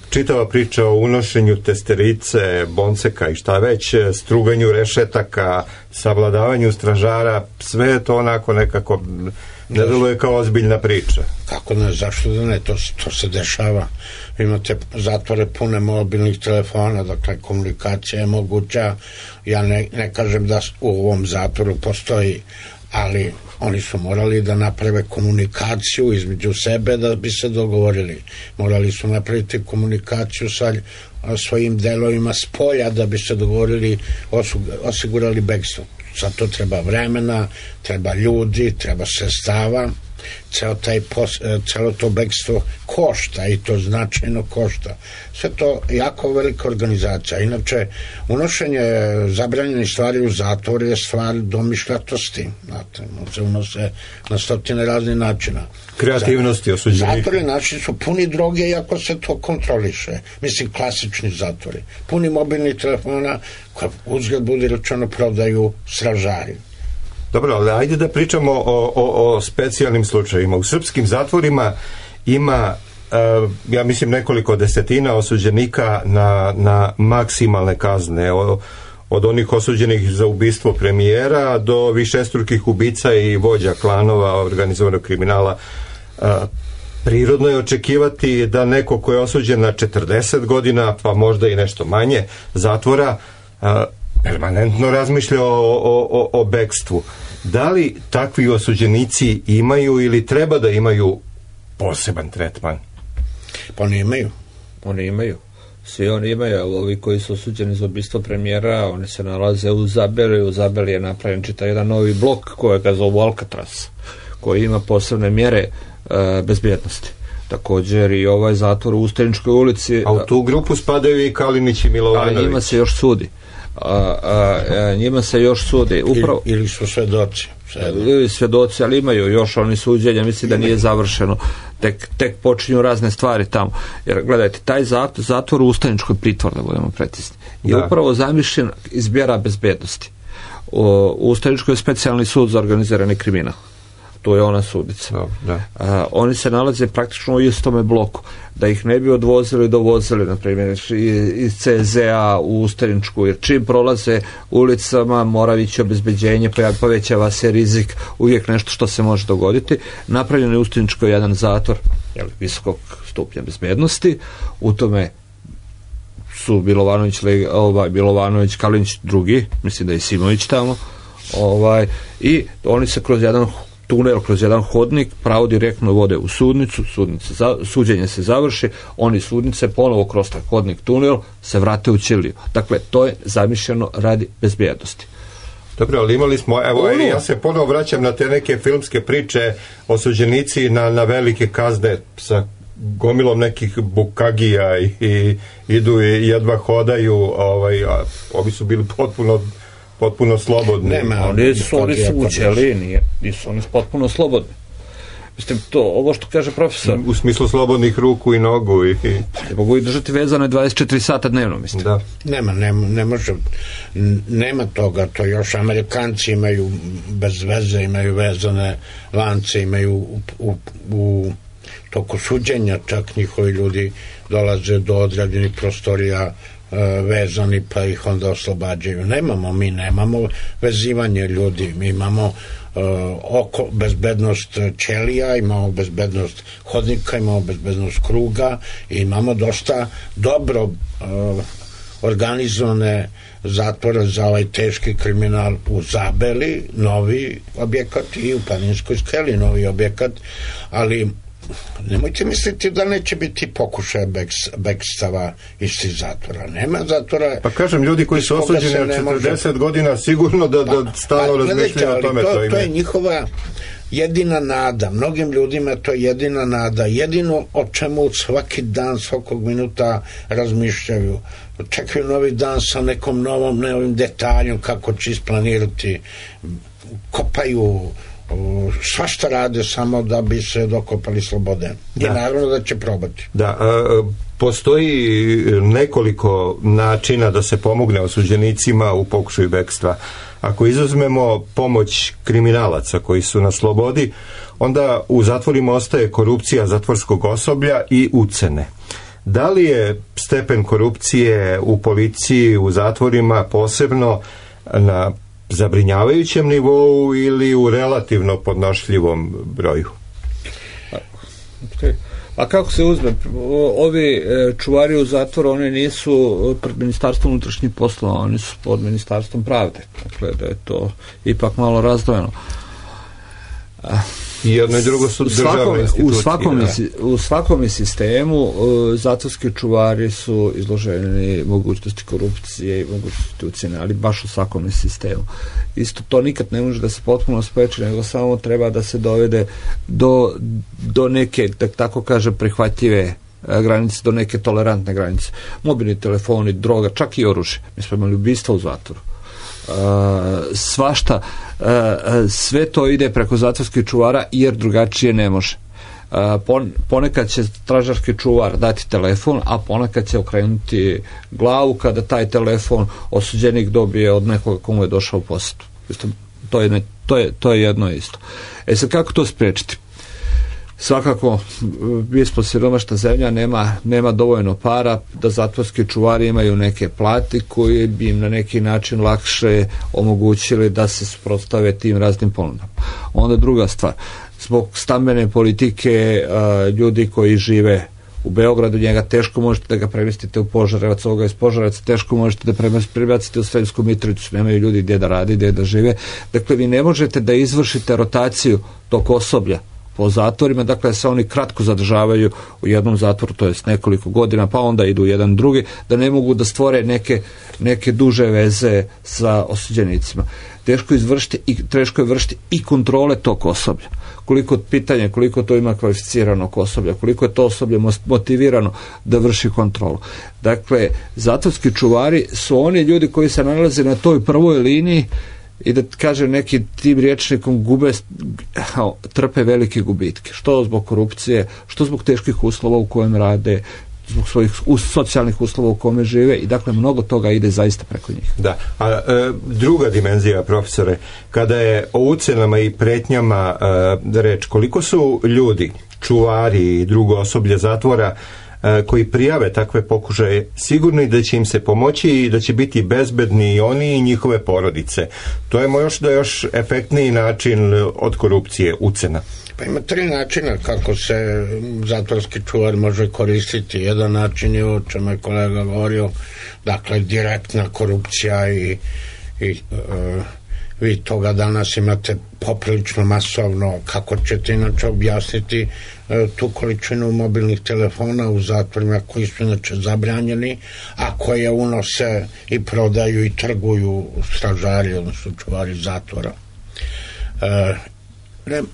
čitava priča o unošenju testerice, bonceka i šta već, struganju rešetaka, savladavanju stražara, sve je to onako nekako ne deluje kao ozbiljna priča. Kako ne, zašto da ne, to se dešava. Imate zatvore pune mobilnih telefona, dakle komunikacija je moguća. Ja ne kažem da u ovom zatvoru postoji, ali oni su morali da naprave komunikaciju između sebe da bi se dogovorili. Morali su napraviti komunikaciju sa svojim delovima s polja da bi se dogovorili, osigurali bekstvo. Zato treba vremena, treba ljudi, treba sredstava. Celo to bekstvo košta i to značajno košta. Sve to jako velika organizacija. Inače, unošenje zabranjenih stvari u zatvor je stvar domišljatosti. Znate, se unose na stotine raznih načina. Kreativnosti osuđenika. Zatvori naši su puni droge iako se to kontroliše. Mislim, klasični zatvori. Puni mobilnih telefona koje uzgled budi rečeno prodaju stražari. Dobro, ali ajde da pričamo o specijalnim slučajima. U srpskim zatvorima ima, ja mislim, nekoliko desetina osuđenika na maksimalne kazne. Od onih osuđenih za ubistvo premijera do višestrukih ubica i vođa klanova organizovanog kriminala. Prirodno je očekivati da neko ko je osuđen na 40 godina, pa možda i nešto manje zatvora, permanentno razmišlja o bekstvu. Da li takvi osuđenici imaju ili treba da imaju poseban tretman? Pa ne imaju. Oni imaju. Svi oni imaju. Ovi koji su osuđeni za ubistvo premijera, oni se nalaze u Zabeli. U Zabeli je napravljen čitav jedan novi blok koji ga zovu Alcatraz, koji ima posebne mjere bezbjednosti. Također i ovaj zatvor u Ustaničkoj ulici. A u tu grupu spadaju i Kalinić i Milovanović. A njima se još sudi. Njima se još sudi upravo, ili su svedoci, ali imaju još oni suđenja, mislim da nije završeno, tek počinju razne stvari tamo, jer gledajte, taj zatvor u Ustaničkoj pritvor, da budemo precizni, je upravo zamišljen iz mjera bezbednosti. U Ustaničkoj je specijalni sud za organizirani kriminal, to je ona sudica. Oni se nalaze praktično u istome bloku, da ih ne bi odvozili i dovozili, na primjer iz CZ-a u Ustaničku, jer čim prolaze ulicama mora ići obezbeđenje, povećava se rizik, uvijek nešto što se može dogoditi. Napravljen je u Ustaničkoj jedan zatvor visokog stupnja bezbednosti, u tome su Milovanović, Kalinić drugi, mislim da je Simović tamo, i oni se kroz jedan tunel, kroz jedan hodnik pravo direktno vode u sudnicu, suđenje se završi, oni sudnice ponovo kroz taj hodnik, tunel se vrate u ćeliju. Dakle, to je zamišljeno radi bezbjednosti. Dobro, ali imali smo, ja se ponovo vraćam na te neke filmske priče, osuđenici na velike kazne sa gomilom nekih bukagija i idu i jedva hodaju, ovi su bili potpuno slobodni. Oni su u ćeliji, nisu oni potpuno slobodni. Mislim, ovo što kaže profesor... U smislu slobodnih ruku i nogu i... Ne mogu i držati vezane 24 sata dnevno, mislim. Da. Ne može. Nema toga, to još Amerikanci imaju bez veze, imaju vezane lance, imaju u toku suđenja, čak njihovi ljudi dolaze do određenih prostorija vezani pa ih onda oslobađaju. Mi nemamo vezivanje ljudi, mi imamo bezbednost ćelija, imamo bezbednost hodnika, imamo bezbednost kruga i imamo dosta dobro organizovane zatvore za ovaj teški kriminal u Zabeli, novi objekat, i u Planinskoj skeli novi objekat, ali nemojte misliti da neće biti pokušaja bekstava iz tih zatvora. Nema zatvora. Pa kažem, ljudi koji su osuđeni od 40 godina sigurno da stalno razmišljaju o tome. To je njihova jedina nada. Mnogim ljudima to je jedina nada. Jedino o čemu svaki dan, svakog minuta razmišljaju. Čekaju novi dan sa nekom novim detaljom kako će isplanirati. Kopaju svašta rade samo da bi se dokopali slobode. I naravno da će probati. Da, postoji nekoliko načina da se pomogne osuđenicima u pokušaju bekstva. Ako izuzmemo pomoć kriminalaca koji su na slobodi, onda u zatvorima ostaje korupcija zatvorskog osoblja i ucene. Da li je stepen korupcije u policiji, u zatvorima posebno na zabrinjavajućem nivou ili u relativno podnošljivom broju? A kako se uzme? Ovi čuvari u zatvoru, oni nisu pred Ministarstvom unutrašnjih poslova, oni su pod Ministarstvom pravde. Dakle, da je to ipak malo razdvojeno. I jedno i drugo su državne institucije. U svakom sistemu zatvorski čuvari su izloženi mogućnosti korupcije i mogućnosti ucjene, ali baš u svakom sistemu. Isto to nikad ne može da se potpuno spreči, nego samo treba da se dovede do neke, da tako kaže, prihvatljive granice, do neke tolerantne granice. Mobilni telefoni, droga, čak i oružje. Mi smo imali ubistva u zatvoru. Svašta, sve to ide preko zatvorskih čuvara jer drugačije ne može. Ponekad će stražarski čuvar dati telefon, a ponekad će okrenuti glavu kada taj telefon osuđenik dobije od nekoga komu je došao u posjetu. To je jedno isto. Sad kako to spriječiti? Svakako, mi smo siromašna zemlja, nema dovoljno para da zatvorski čuvari imaju neke plati koje bi im na neki način lakše omogućili da se suprotstave tim raznim ponudama. Onda druga stvar, zbog stambene politike ljudi koji žive u Beogradu, njega teško možete da ga premestite u Požarevac, ovoga iz Požarevaca teško možete da prebacite u Sremsku Mitrovicu, nemaju ljudi gdje da radi, gdje da žive. Dakle, vi ne možete da izvršite rotaciju tog osoblja po zatvorima, dakle se oni kratko zadržavaju u jednom zatvoru, to jest nekoliko godina, pa onda idu u jedan drugi, da ne mogu da stvore neke duže veze sa osuđenicima. Teško je vršiti i kontrole tog osoblja. Koliko to ima kvalificiranog osoblja, koliko je to osoblje motivirano da vrši kontrolu. Dakle, zatvorski čuvari su oni ljudi koji se nalaze na toj prvoj liniji i da kaže neki tim rječnikom trpe velike gubitke. Što zbog korupcije, što zbog teških uslova u kojem rade, zbog svojih socijalnih uslova u kome žive i dakle mnogo toga ide zaista preko njih. Da, a druga dimenzija, profesore, kada je o ucenama i pretnjama reč, koliko su ljudi, čuvari i drugo osoblje zatvora koji prijave takve pokušaje sigurni da će im se pomoći i da će biti bezbedni i oni i njihove porodice? To je još efektniji način od korupcije, ucena. Pa ima 3 načina kako se zatvorski čuvar može koristiti. Jedan način je o čemu je kolega govorio, dakle direktna korupcija i vi toga danas imate poprilično masovno. Kako ćete inače objasniti tu količinu mobilnih telefona u zatvorima koji su inače zabranjeni, a koje unose i prodaju i trguju stražari, odnosno čuvari zatvora.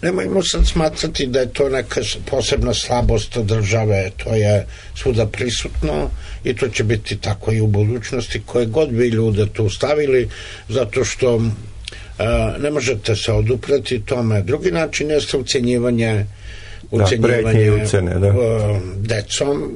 Nemojmo sad smatrati da je to neka posebna slabost države, to je svuda prisutno i to će biti tako i u budućnosti, koje god bi ljude tu stavili, zato što ne možete se odupreti tome. Drugi način je ucenjivanje decom.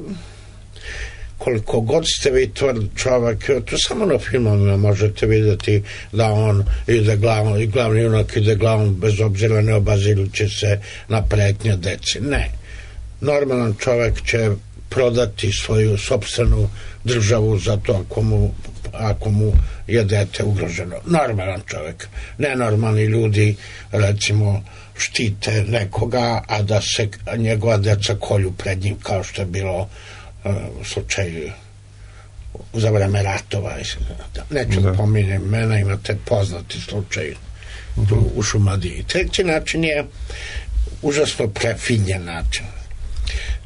Koliko god ste vi tvrd čovjek, to samo na filmovima možete vidjeti da on ide glavom i glavni junak ide glavom bez obzira ne obazirući se na pretnje deci. Ne. Normalan čovjek će prodati svoju sopstvenu državu za to ako mu je dete ugroženo. Normalan čovjek. Nenormalni ljudi, recimo, štite nekoga, a da se njegova deca kolju pred njim, kao što je bilo u slučaju za vreme ratova. Neću da pominjem imena, imate poznati slučaj tu u Šumadiji. Treći način je užasno prefinjen način.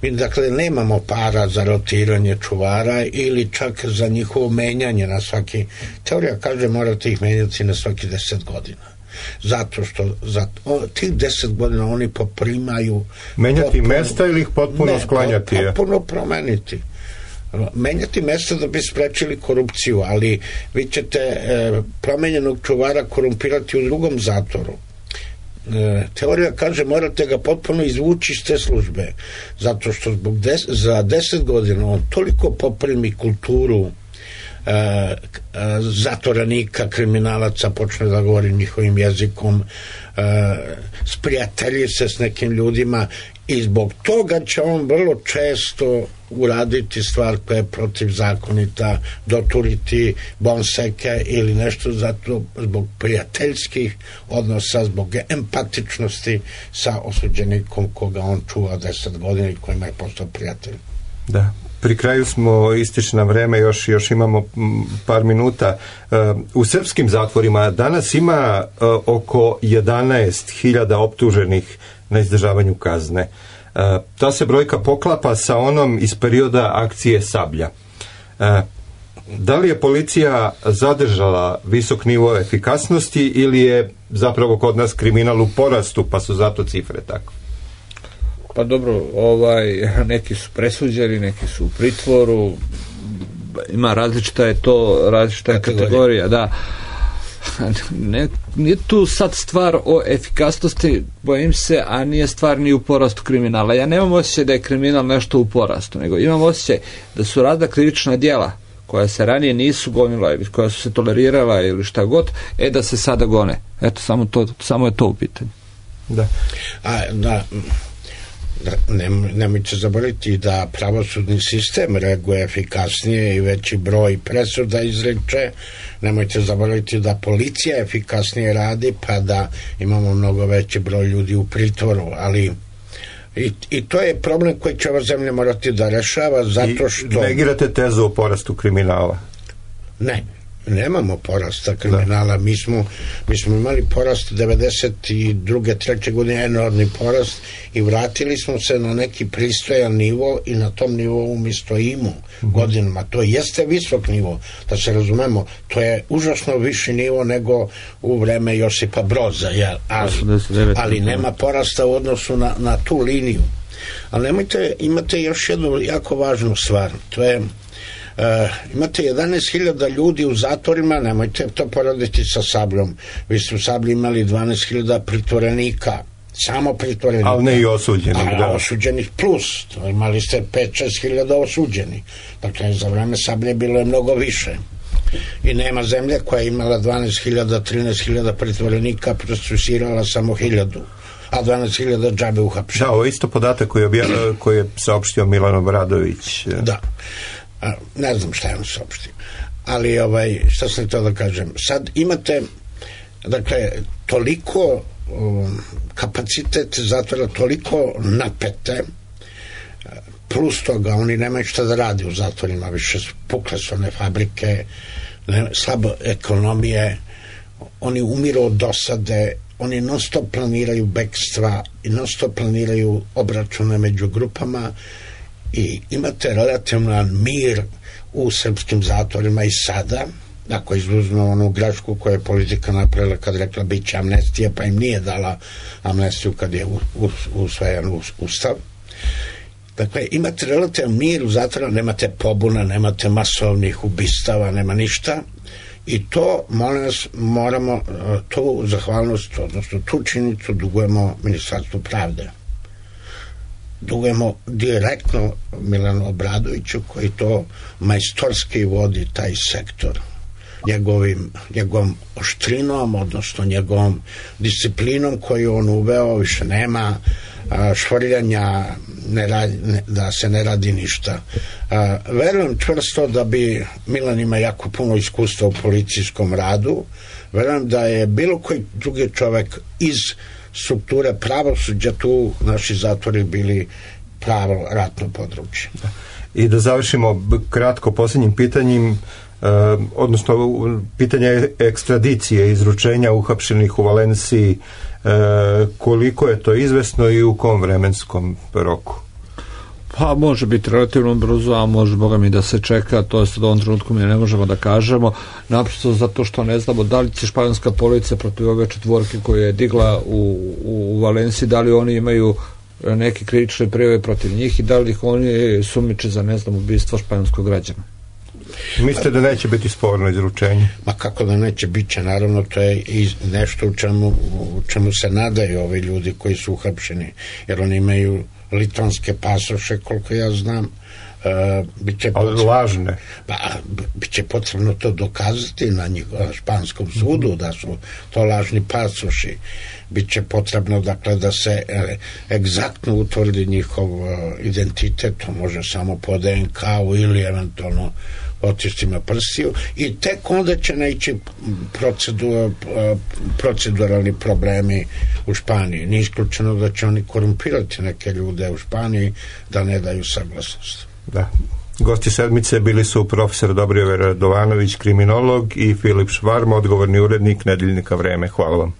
Mi dakle nemamo para za rotiranje čuvara ili čak za njihovo menjanje na svaki, teorija kaže morate ih menjati na svaki 10 godina. Zato što za tih 10 godina oni poprimaju menjati mesta ili ih potpuno sklanjati? Potpuno promeniti. Menjati mesta da bi sprečili korupciju, ali vi ćete promenjenog čuvara korumpirati u drugom zatvoru. teorija kaže morate ga potpuno izvući iz te službe, zato što za 10 godina on toliko poprimi kulturu zatvorenika, kriminalaca, počne da govori njihovim jezikom, sprijatelji se s nekim ljudima i zbog toga će on vrlo često uraditi stvar koja je protivzakonita, doturiti bonseke ili nešto, zato zbog prijateljskih odnosa, zbog empatičnosti sa osuđenikom koga on čuva 10 godina i kojima je postao prijatelj. Da. Pri kraju smo, ističe nam vreme, još imamo par minuta. U srpskim zatvorima danas ima oko 11.000 optuženih na izdržavanju kazne. Ta se brojka poklapa sa onom iz perioda akcije Sablja. Da li je policija zadržala visok nivo efikasnosti ili je zapravo kod nas kriminal u porastu, pa su zato cifre tako? Pa dobro, neki su presuđeni, neki su u pritvoru, ima različita kategorija, da. Nije tu sad stvar o efikasnosti, bojim se, a nije stvar ni u porastu kriminala. Ja nemam osjećaj da je kriminal nešto u porastu, nego imam osjećaj da su razna krivična djela koja se ranije nisu gonila ili koja su se tolerirala ili šta god, da se sada gone. Eto, samo je to u pitanju. Da. Nemojte zaboraviti da pravosudni sistem reaguje efikasnije i veći broj presuda izreče. Nemojte zaboraviti da policija efikasnije radi, pa da imamo mnogo veći broj ljudi u pritvoru, ali i to je problem koji će ova zemlja morati da rešava, zato što... I negirate tezu o porastu kriminala? Nemamo porasta kriminala. Mi smo imali porast 92. 3. godine, enormni porast, i vratili smo se na neki pristojan nivo i na tom nivou mi stojimo godinama. To jeste visok nivo, da se razumemo, to je užasno viši nivo nego u vreme Josipa Broza, ali nema porasta u odnosu na tu liniju. Ali imate još jednu jako važnu stvar, to je imate 11.000 ljudi u zatvorima, nemojte to porediti sa Sabljom. Vi ste u Sablji imali 12.000 pritvorenika, samo pritvorenika. Ali ne i osuđenih. Osuđenih plus, imali ste 5-6.000 osuđenih. Dakle, za vreme Sablje bilo je mnogo više. I nema zemlje koja je imala 12.000, 13.000 pritvorenika, procesuirala samo 1.000. A 12.000 džabe uhapšeni. Da, ovo je isto podatak koji je saopštio Milan Obradović. Da. Ne znam šta je on saopštio, ali šta sam htio da kažem, sad imate, dakle, toliko kapacitet zatvora, toliko napete, plus toga oni nemaju šta da radi u zatvorima, više pukle su one fabrike, slabo ekonomije, oni umiru od dosade, oni non stop planiraju bekstva i non stop planiraju obračune među grupama i imate relativan mir u srpskim zatvorima i sada, ako izuzmemo onu grešku koju je politika napravila kad rekla bit će amnestija, pa im nije dala amnestiju kad je usvojen ustav. Dakle, imate relativan mir u zatvorima, nemate pobuna, nemate masovnih ubistava, nema ništa. I to, molim vas, moramo tu zahvalnost, odnosno tu činjenicu dugujemo Ministarstvu pravde. Dugujemo direktno Milanu Obradoviću koji to majstorski vodi taj sektor. Njegovom oštrinom, odnosno njegovom disciplinom koju on uveo, više nema švrljanja, da se ne radi ništa. Verujem čvrsto da bi Milan ima jako puno iskustva u policijskom radu. Verujem da je bilo koji drugi čovek iz strukture pravosuđa tu naši zatvori bili pravo ratno područje. I da završimo kratko posljednjim pitanjem, odnosno pitanje ekstradicije, izručenja uhapšenih u Valenciji, koliko je to izvesno i u kom vremenskom roku? Pa može biti relativno brzo, a može Boga mi da se čeka, to je sad u ovom trenutku mi ne možemo da kažemo, naprosto zato što ne znamo da li će španjolska policija protiv ove četvorke koje je digla u Valenciji, da li oni imaju neke krivične prijave protiv njih i da li ih oni sumnjiče za, ne znam, ubistvo španjolskog građana. Mislite da neće biti sporno izručenje? Ma kako da neće, bit će, naravno, to je i nešto u čemu se nadaju ovi ljudi koji su uhapšeni, jer oni imaju litvanske pasoše, koliko ja znam. Ali lažne. Pa, biće potrebno to dokazati na španskom sudu da su to lažni pasoši. Biće potrebno, dakle, da se egzaktno utvrdi njihov identitet, to može samo po DNK-u ili eventualno otiscima prstiju, i tek onda će naići proceduralni problemi u Španiji. Nije isključeno da će oni korumpirati neke ljude u Španiji da ne daju saglasnost. Da. Gosti sedmice bili su profesor Dobrivoje Radovanović, kriminolog, i Filip Švarma, odgovorni urednik nedeljnika Vreme. Hvala vam.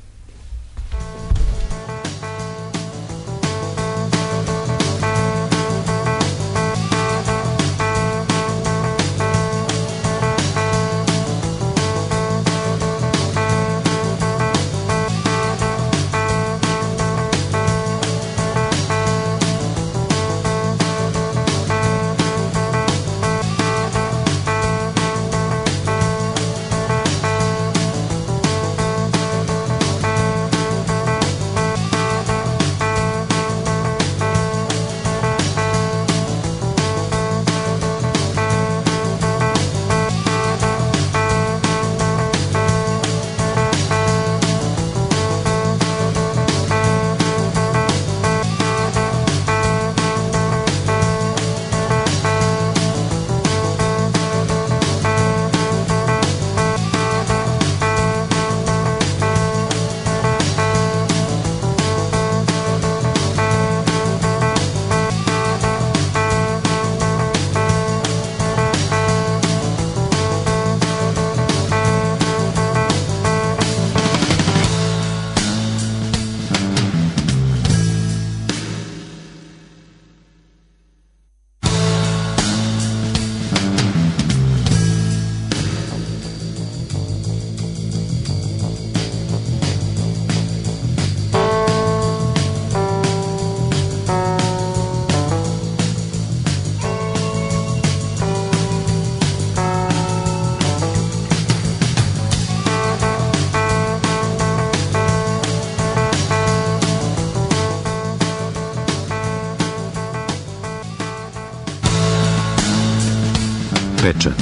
Pečat.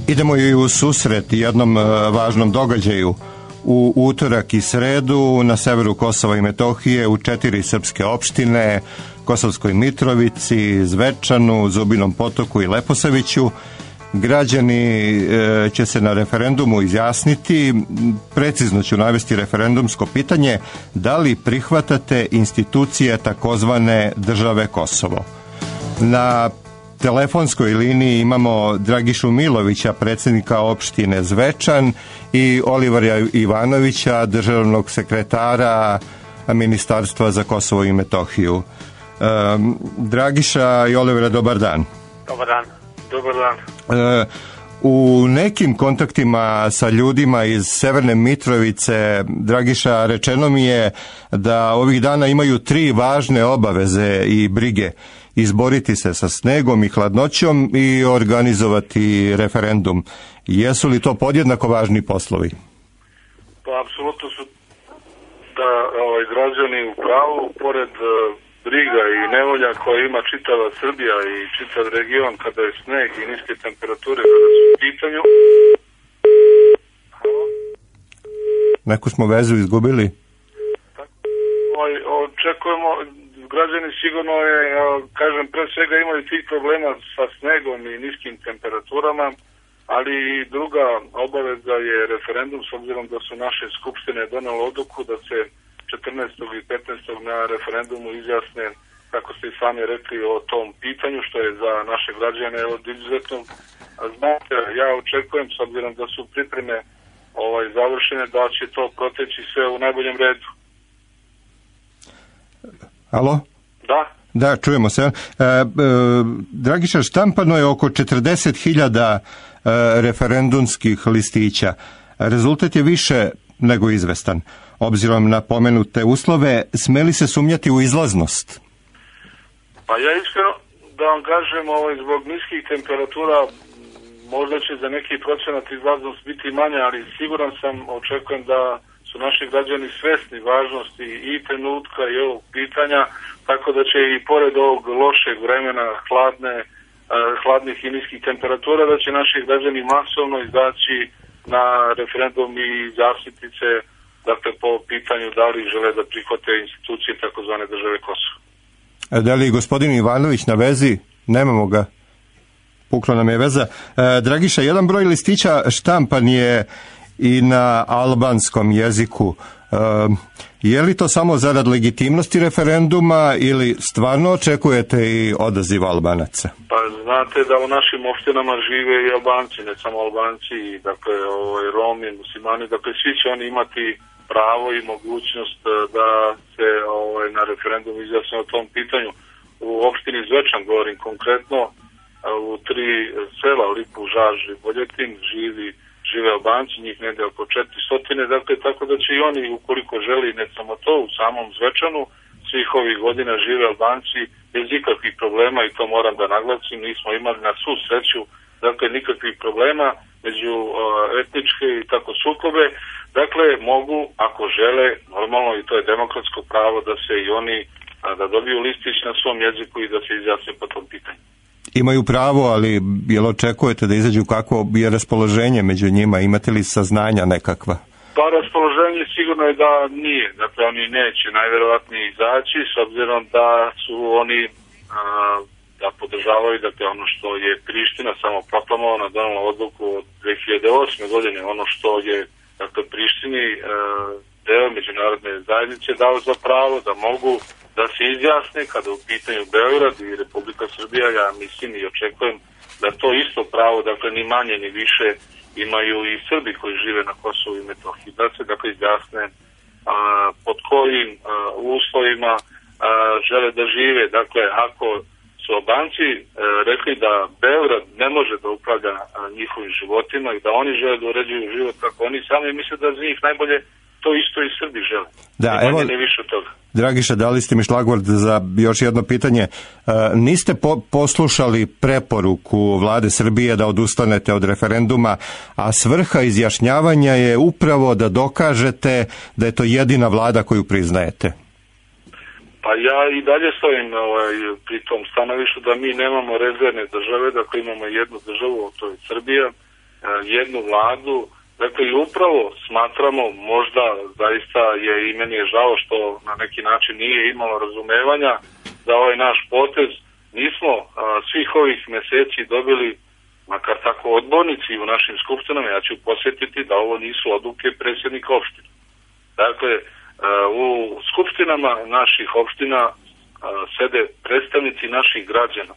Idemo i u susret jednom važnom događaju. U utorak i sredu na severu Kosova i Metohije u 4 srpske opštine, Kosovskoj Mitrovici, Zvečanu, Zubinom Potoku i Leposaviću, građani će se na referendumu izjasniti. Precizno ću navesti referendumsko pitanje: da li prihvatate institucije takozvane države Kosovo? Na telefonskoj liniji imamo Dragišu Milovića, predsjednika opštine Zvečan, i Olivera Ivanovića, državnog sekretara Ministarstva za Kosovo i Metohiju. Dragiša i Olivera, dobar dan. Dobar dan. Dobar dan. U nekim kontaktima sa ljudima iz Severne Mitrovice, Dragiša, rečeno mi je da ovih dana imaju 3 važne obaveze i brige: izboriti se sa snegom i hladnoćom i organizovati referendum. Jesu li to podjednako važni poslovi? Pa apsolutno su da građani u pravu, pored briga i nevolja koje ima čitava Srbija i čitav region kada je sneg i niske temperature kada su u pitanju. Neku smo vezu izgubili. Očekujemo, građani sigurno kažem, pre svega imaju tih problema sa snegom i niskim temperaturama, ali i druga obaveza je referendum, s obzirom da su naše skupštine donele odluku da se 14. i 15. na referendumu izjasne, kako ste i sami rekli, o tom pitanju, što je za naše građane od izuzetnog značaja. Ja očekujem, s obzirom da su pripreme završene, da će to proteći sve u najboljem redu. Alo? Da. Da, čujemo se. Dragiša, štampano je oko 40.000 referendumskih listića. Rezultat je više nego izvestan. Obzirom na pomenute uslove, sme li se sumnjati u izlaznost? Pa ja iskreno da vam kažem, zbog niskih temperatura možda će za neki procenat izlaznost biti manja, ali siguran sam, očekujem da su naši građani svesni važnosti i trenutka i ovog pitanja, tako da će i pored ovog lošeg vremena, hladnih i niskih temperatura, da će naši građani masovno izaći na referendum i izjasniti se, dakle, po pitanju da li žele da prihvate institucije takozvane države Kosovo. Da li gospodin Ivanović na vezi? Nemamo ga. Pukla nam je veza. Dragiša, jedan broj listića štampan je i na albanskom jeziku. Je li to samo zarad legitimnosti referenduma ili stvarno očekujete i odaziv Albanaca? Pa znate da u našim opštinama žive i Albanci, ne samo Albanci, dakle Romi, muslimani, dakle svi će oni imati pravo i mogućnost da se na referendum izjasne o tom pitanju. U opštini Zvečan, govorim konkretno, u 3 sela, Lipu, Žaž i Boljetin, žive Albanci, njih negde oko 400, dakle, tako da će i oni, ukoliko želi, ne samo to, u samom Zvečanu, svih ovih godina žive Albanci bez ikakvih problema, i to moram da naglasim, nismo imali na svu sreću, dakle, nikakvih problema među etničke i tako sukobe, dakle, mogu, ako žele, normalno, i to je demokratsko pravo, da se i oni, da dobiju listić na svom jeziku i da se izjasne po tom pitanju. Imaju pravo, ali jel očekujete da izađu, kako je raspoloženje među njima? Imate li saznanja nekakva? Pa raspoloženje sigurno je da nije. Dakle, oni neće najverovatnije izaći, s obzirom da su oni da podržavaju, dakle, ono što je Priština samo proklamovana, donala odluku od 2008. godine, ono što je, dakle, Prištini deo međunarodne zajednice dao za pravo da mogu da se izjasne kada u pitanju Beograd i Republika Srbija. Ja mislim i očekujem da to isto pravo, dakle, ni manje ni više imaju i Srbi koji žive na Kosovu i Metohiji, da se, dakle, izjasne pod kojim uslovima žele da žive. Dakle, ako su Albanci rekli da Beograd ne može da upravlja njihovim životima i da oni žele da uređuju život kako oni sami, misle da za njih najbolje to isto i Srbi žele. Da, evo, ne više od toga. Dragiša, dali ste mi šlagvord za još jedno pitanje. Niste poslušali preporuku Vlade Srbije da odustanete od referenduma, a svrha izjašnjavanja je upravo da dokažete da je to jedina vlada koju priznajete. Pa ja i dalje stojim pri tom stanovištu da mi nemamo rezervne države, dakle imamo jednu državu, to je Srbija, jednu vladu. Dakle, i upravo smatramo, možda zaista je i meni je žao što na neki način nije imalo razumevanja za ovaj naš potez. Nismo svih ovih meseci dobili, makar tako odbornici u našim skupštinama, ja ću posjetiti da ovo nisu odluke predsjednika opština. Dakle, u skupštinama naših opština sede predstavnici naših građana.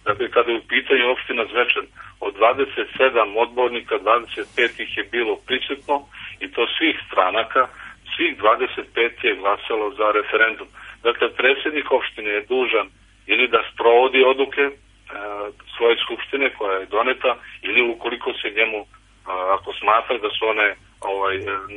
Dakle, kada je u pitanju opština Zvečan, od 27 odbornika, 25 ih je bilo prisutno, i to svih stranaka, svih 25 je glasalo za referendum. Dakle, predsjednik opštine je dužan ili da sprovodi odluke svoje skupštine koja je doneta, ili ukoliko se njemu, ako smatra da su one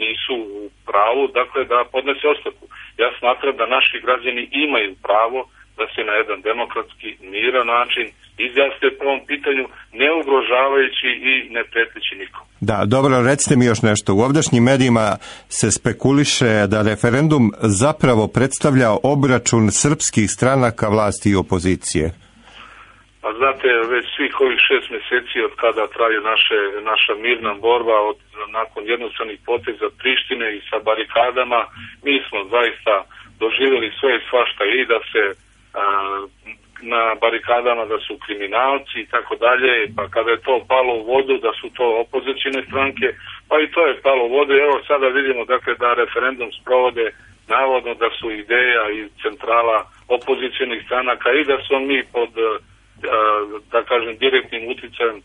nisu u pravu, dakle, da podnese ostavku. Ja smatram da naši građani imaju pravo da se na jedan demokratski, miran način izjasne po ovom pitanju, ne ugrožavajući i ne preteći nikom. Da, dobro, recite mi još nešto. U ovdašnjim medijima se spekuliše da referendum zapravo predstavlja obračun srpskih stranaka vlasti i opozicije. Pa znate, već svih ovih 6 meseci od kada traje naša mirna borba, nakon jednostavnih poteza Prištine i sa barikadama, mi smo zaista doživjeli sve i svašta, i da se na barikadama da su kriminalci i tako dalje, pa kada je to palo u vodu da su to opozicijne stranke, pa i to je palo u vodu. Evo sada vidimo, dakle, da referendum sprovode navodno da su ideja iz centrala opozicijnih stranaka i da smo mi pod, da kažem, direktnim uticajem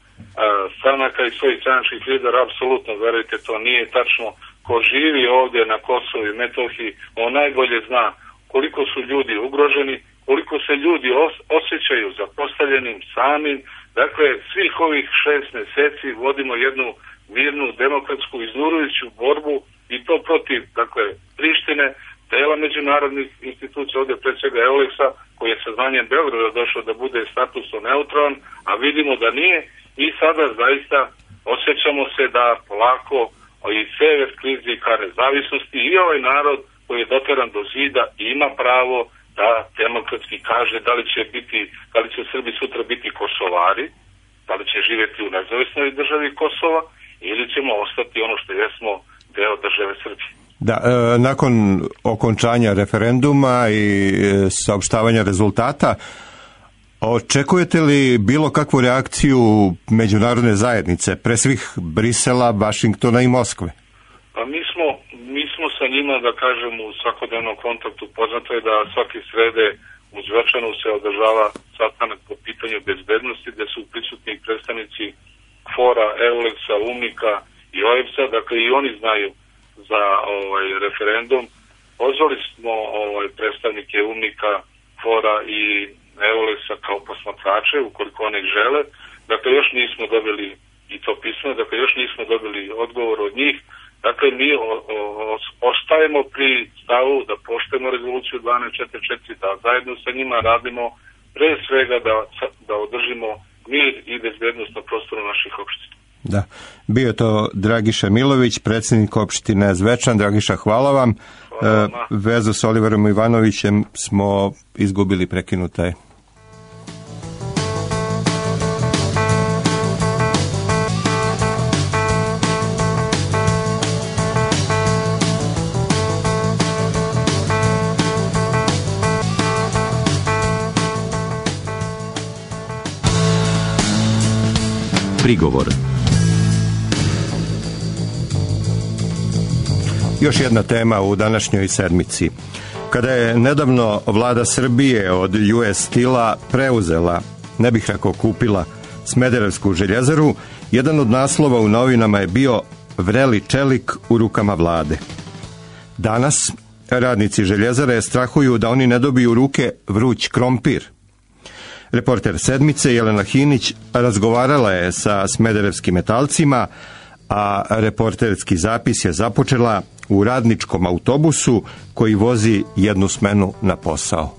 stranaka i svojih stranačkih lidera. Apsolutno, verujte, to nije tačno. Ko živi ovdje na Kosovu i Metohiji, on najbolje zna koliko su ljudi ugroženi, koliko se ljudi osjećaju zapostavljenim, samim. Dakle, svih ovih 6 meseci vodimo jednu mirnu, demokratsku, iznurujuću borbu, i to protiv, dakle, Prištine, tela međunarodnih institucija, ovdje pred svega EULEX-a, koji je saznanjem Beograda došao da bude statusno neutralan, a vidimo da nije, i sada zaista osjećamo se da polako i sever klizi ka nezavisnosti i ovaj narod koji je doteran do zida ima pravo da demokratski kaže da li će Srbi sutra biti Kosovari, da li će živjeti u nezavisnoj državi Kosova ili ćemo ostati ono što jesmo, deo države Srbije. Da, nakon okončanja referenduma i saopštavanja rezultata, očekujete li bilo kakvu reakciju međunarodne zajednice, pre svih Brisela, Vašingtona i Moskve? Pa mi smo sa njima, da kažem, u svakodnevnom kontaktu. Poznato je da svake srede u Zvečanu se održava sastanak po pitanju bezbednosti, gde su prisutni predstavnici Fora, Euleksa, UNMIK-a i OEBS-a, dakle i oni znaju za referendum. Pozvali smo predstavnike UNMIK-a, Fora i Euleksa kao posmatrače, ukoliko oni žele. Dakle, još nismo dobili i to pismo, dakle, još nismo dobili odgovor od njih. Dakle, mi ostajemo pri stavu da poštujemo rezoluciju 1244, da zajedno sa njima radimo pre svega da održimo mir i bezbednost na prostoru naših opština. Da, bio je to Dragiša Milović, predsjednik opštine Zvečan. Dragiša, hvala vam. Vezu s Oliverom Ivanovićem smo izgubili, prekinuta je. Prigovor. Još jedna tema u današnjoj sedmici. Kada je nedavno vlada Srbije od US Stila preuzela, ne bih rekao kupila, Smederevsku željezaru, jedan od naslova u novinama je bio "Vreli čelik u rukama vlade". Danas radnici željezare strahuju da oni ne dobiju u ruke vruć krompir. Reporter Sedmice Jelena Hinić razgovarala je sa smederevskim metalcima, a reporterski zapis je započela u radničkom autobusu koji vozi jednu smenu na posao.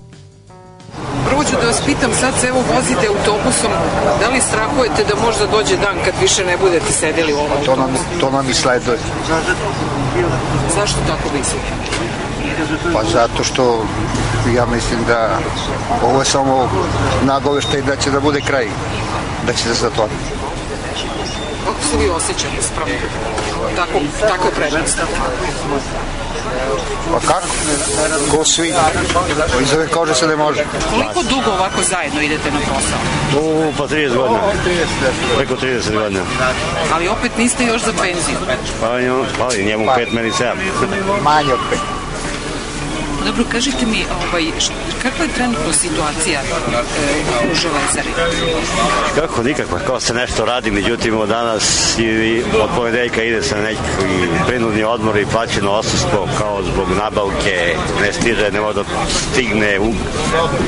Prvo ću da vas pitam, sad se evo vozite autobusom, da li strahujete da možda dođe dan kad više ne budete sedeli u ovom autobusu? To nam i sleduje. Zašto tako mislite? Pa zato što ja mislim da ovo je samo nagoveštaj da će da bude kraj, da će se zatvoriti. Kako se vi osjećate spravo? Tako je prednost. Pa kako? Ko svi? Iz ove kože se ne može. Koliko dugo ovako zajedno idete na posao? Pa 30 godina. Preko 30 godina. Ali opet niste još za penziju? Pa njemu 5, meni 7. Manje od 5. Dobro, kažite mi, kakva je trenutno situacija u železari? Kako, nikakva, kao se nešto radi, međutim od danas i od ponedeljka ide se neki prinudni odmor i plaćeno odsustvo, kao zbog nabavke, ne stiže, ne može da stigne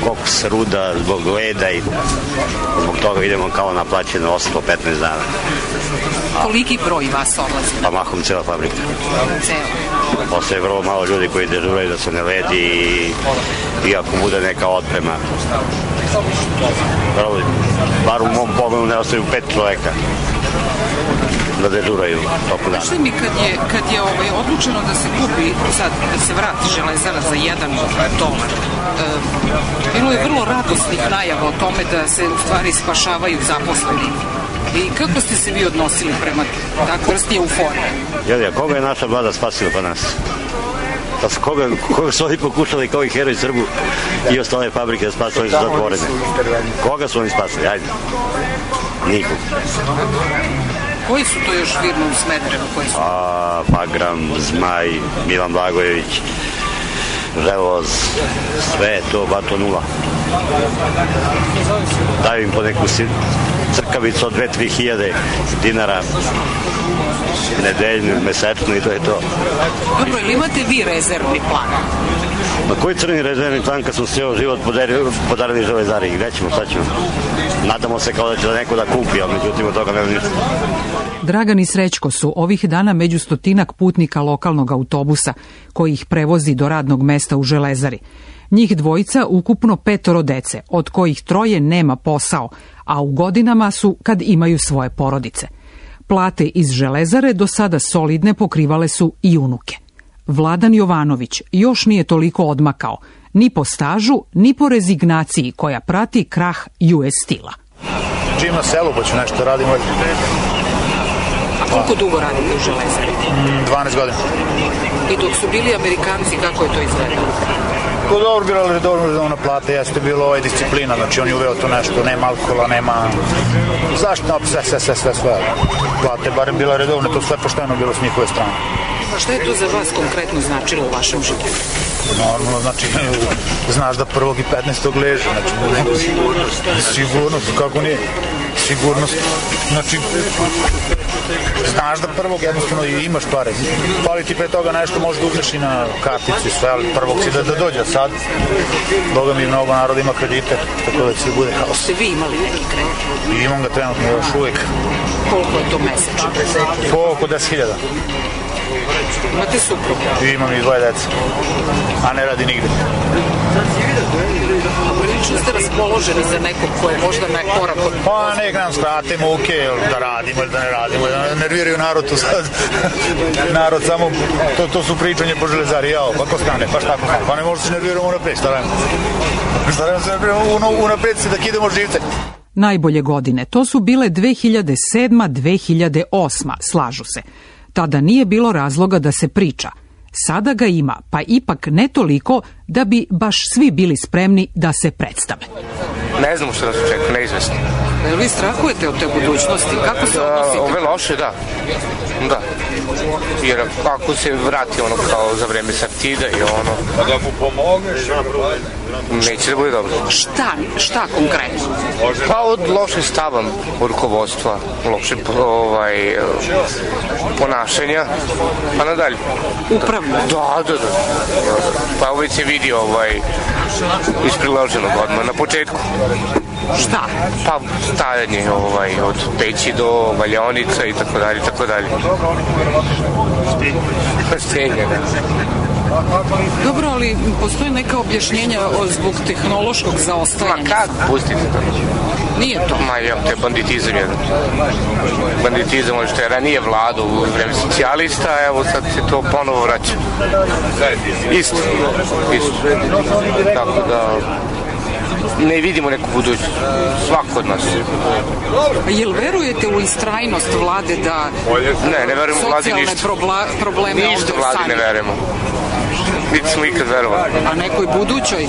koks, ruda, zbog leda i zbog toga idemo kao na plaćeno odsustvo 15 dana. Koliki broj vas odlazi? Pa mahom cela fabrika. Cela? Postoje vrlo malo ljudi koji dežuraju da se ne ledi i ako bude neka otprema. Bar u mom pogledu ne ostaju 5 čoveka da dežuraju toku dana. Znaš li mi, kad je odlučeno da se kupi, sad da se vrati železara za $1, bilo je vrlo radosnih najava o tome da se u stvari spašavaju zaposleni. I kako ste se vi odnosili prema takvoj vrsti euforije? Jelija, koga je naša vlada spasila pa nas? Pa koga su oni pokušali kao i Heroj Srbu i ostale fabrike da spasili, oni su zatvorene. Koga su oni spasili? Ajde. Nikog. Koji su to još firme u Smederevu koji su? Pagram, Zmaj, Milan Blagojević, Želoz, sve to, bato nula. Daju im po neku crkavicu od 2-3 hiljade dinara nedeljnu, mesečno i to je to. Dobro, ili imate vi rezervni plan? Na koji crni rezervni plan kad smo sve život podarili železari? Gde ćemo, šta ćemo? Nadamo se kao da će da neko da kupi, ali međutim od toga nema ništa. Dragan i Srećko su ovih dana među 100 putnika lokalnog autobusa koji ih prevozi do radnog mesta u železari. Njih dvojica ukupno 5 dece, od kojih 3 nema posao, a u godinama su kad imaju svoje porodice. Plate iz Železare do sada solidne pokrivale su i unuke. Vladan Jovanović još nije toliko odmakao, ni po stažu, ni po rezignaciji koja prati krah US Stila. Živim na selu, pa ću nešto radim. A koliko dugo radite u Železari? 12 godina. I dok su bili Amerikanci, kako je to izgledalo? Ko dobro, bila redovna plata, jeste bilo disciplina, znači on je uveo to nešto, nema alkohola, nema zašto, sve. Plate barem bila redovna, to sve pošteno bilo s njihove strane. Šta je to za vas konkretno značilo u vašem životu? Normalno, znači, znaš da 1. i 15. leže, znači, sigurnost, kako nije, sigurnost, znači, znaš da 1. jednostavno imaš pare, pali ti pre toga nešto, možeš da uzmeš i na karticu i sve, ali 1. si da dođe, sad, Boga mi mnogo naroda ima kredite, tako da će bude haos. Ste vi imali neki kredit? Imam ga trenutno još uvijek. Koliko je to mesečno? Po oko 10.000. Imate suprugu? Imam i 2 dece, a ne radi nigde. A prilično ste raspoloženi za nekog ko je možda na korak od... Pa nek nam skrate muke, da radimo ili da ne radimo, da nerviraju narod tu sad. Narod samo, to su pričanje po Železari, jao, pa ko stane, pa šta ko stane, pa ne možemo se nerviramo unapred, starajmo se nerviramo unapred se da kidemo živce. Najbolje godine, to su bile 2007-2008, slažu se. Tada nije bilo razloga da se priča. Sada ga ima, pa ipak ne toliko da bi baš svi bili spremni da se predstave. Ne znamo što nas očekuje, neizvesno. Jel vi strahujete od te budućnosti? Kako se odnosite? Ove loše, da. Da. Jer ako se vrati ono kao za vreme Sartida i ono... A da mu pomogneš? Neće da bude dobro. Šta konkretno? Pa od lošeg stava rukovodstva, lošeg ponašanja, pa nadalje. Upravno? Da. Pa već se vidi iz priloženog odmah na početku. Šta? Pa stajanje od peći do valjaonica i tako dalje. Stenje, da. Dobro, ali postoje neka objašnjenja zbog tehnološkog zaostajanja. Ma kako? Pustite to. Nije to? Ma ja, to je banditizam jedan. Banditizam, što je ranije vladu u vreme socijalista, evo sad se to ponovo vraća. Isto. Tako da... ne vidimo neku budućnost, svako od nas. Jel verujete u istrajnost vlade da ne verujemo vladi ništa. Socijalne probleme ništa vladi ne verujemo. Niti smo ikad verovali. A nekoj budućoj?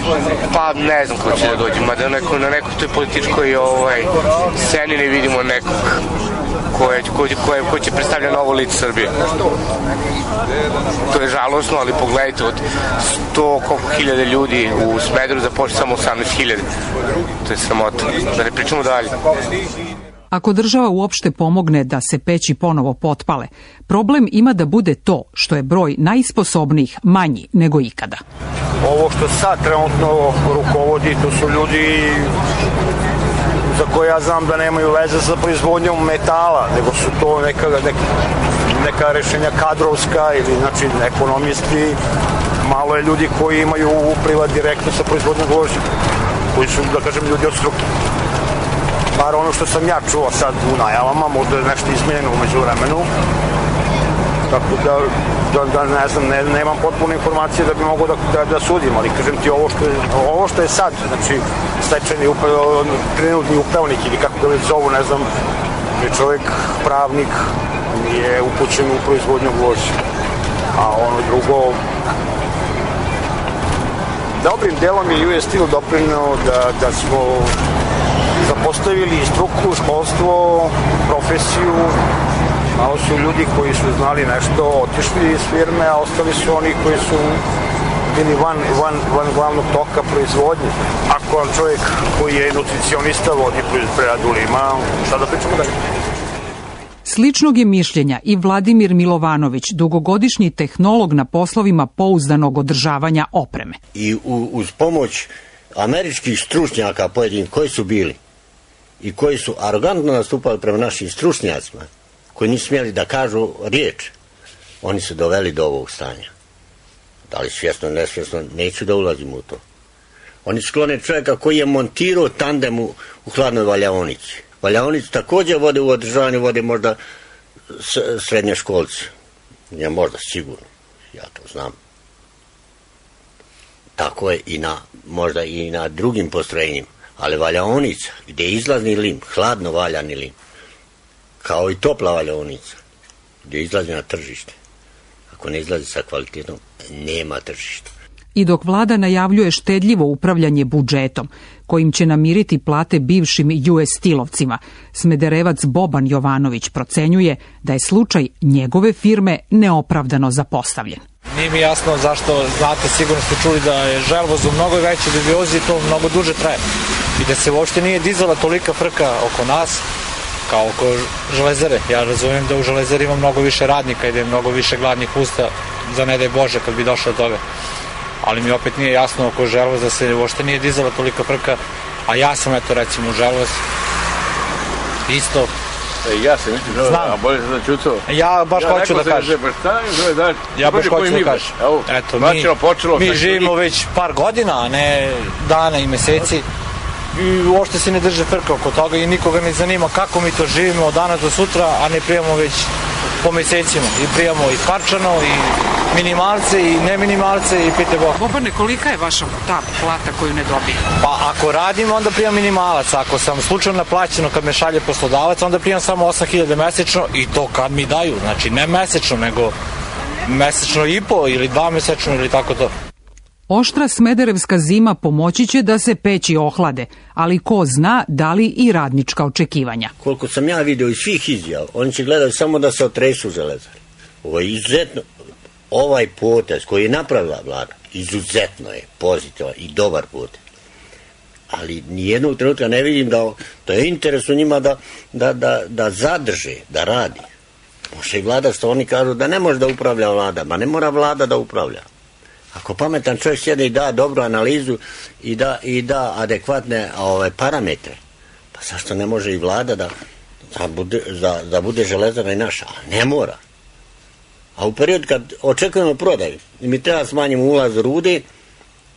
Pa ne znam ko će da dođe, mada na nekoj toj političkoj sceni ne vidimo nekog ko će predstavlja novo lice Srbije. To je žalosno, ali pogledajte, od 100 koliko hiljada ljudi u Smederevu započne samo 18.000. To je sramota. Da ne pričamo dalje. Ako država uopšte pomogne da se peći ponovo potpale, problem ima da bude to što je broj najsposobnijih manji nego ikada. Ovo što sad trenutno rukovodi, to su ljudi za koje ja znam da nemaju veze sa proizvodnjom metala, nego su to neka rešenja kadrovska ili znači ekonomisti. Malo je ljudi koji imaju upliva direktno sa proizvodnjom gvožđa, koji su, da kažem, ljudi od struke. Bar ono što sam ja čuo sad u najavama, možda je nešto izmenjeno umeđu vremenu, tako da ne znam, nemam potpune informacije da bi mogo da sudim, ali kažem ti ovo što je sad, znači stečajni trenutni upravnik ili kako ga već zovu, ne znam, je čovjek pravnik, nije upućen u proizvodnju gvožđa, a ono drugo, dobrim delom je US Steel doprineo da smo zapostavili struku, školstvo, profesiju. Malo su ljudi koji su znali nešto, otišli iz firme, a ostali su oni koji su bili van glavnog toka proizvodnje. Ako vam čovjek koji je nutricionista vodi preradu lima, šta da pričamo dalje? Sličnog je mišljenja i Vladimir Milovanović, dugogodišnji tehnolog na poslovima pouzdanog održavanja opreme. I uz pomoć američkih stručnjaka pojedinih koji su bili i koji su arogantno nastupali prema našim stručnjacima, koji nisu smjeli da kažu riječ, oni su doveli do ovog stanja. Da li svjesno, nesvjesno, neću da ulazim u to. Oni sklone čovjeka koji je montirao tandem u hladnoj valjaonici. Valjaonicu također vode u održavanju, vode možda srednje školce. Nije možda, sigurno. Ja to znam. Tako je možda i na drugim postrojenjima. Ali valjaonica, gdje je izlazni lim, hladno valjani lim, kao i topla valjaonica, gdje izlazi na tržište. Ako ne izlazi sa kvalitetom, nema tržišta. I dok vlada najavljuje štedljivo upravljanje budžetom, kojim će namiriti plate bivšim US Steel-ovcima, smederevac Boban Jovanović procenjuje da je slučaj njegove firme neopravdano zapostavljen. Nije mi jasno zašto, znate, sigurno ste čuli da je želvoz u mnogo većoj dubiozi, to mnogo duže traje. I da se uopšte nije dizala tolika frka oko nas, kao oko železare. Ja razumijem da u železari ima mnogo više radnika i da je mnogo više gladnih usta, za ne daj Bože kad bi došlo do toga. Ali mi opet nije jasno oko želvoza se uopšte nije dizala tolika frka, a ja sam eto recimo želvoz isto. Ja se mislim a bolje se začutao. Ja baš hoću da kažem. Ja baš hoću da kažem. Eto, mi živimo već par godina, a ne dana i meseci. I uopšte se ne drže frka oko toga i nikoga ne zanima kako mi to živimo od danas do sutra, a ne prijemo već po mesecima. I prijemo i parčano, i minimalce, i neminimalce, i pite Bog. Bobane, kolika je vaša ta plata koju ne dobije? Pa ako radim, onda prijam minimalac. Ako sam slučajno naplaćeno kad me šalje poslodavac, onda prijam samo 8.000 mesečno i to kad mi daju. Znači ne mesečno, nego mesečno i po ili 2 mesečno ili tako to. Oštra smederevska zima pomoći će da se peći ohlade, ali ko zna da li i radnička očekivanja. Koliko sam ja vidio iz svih izjava, oni će gledati samo da se otresu železare. Ovo je izuzetno, ovaj potez koji je napravila vlada, izuzetno je pozitivan i dobar potez. Ali nijednog trenutka ne vidim da to je interes u njima da zadrže, da radi. Može i vlada, što oni kažu da ne može da upravlja vlada, ma ne mora vlada da upravlja. Ako pametan čovjek sjede i da dobru analizu i da adekvatne parametre, pa zašto ne može i vlada da bude železara i naša? Ne mora. A u period kad očekujemo prodaju, mi treba smanjimo ulaz rude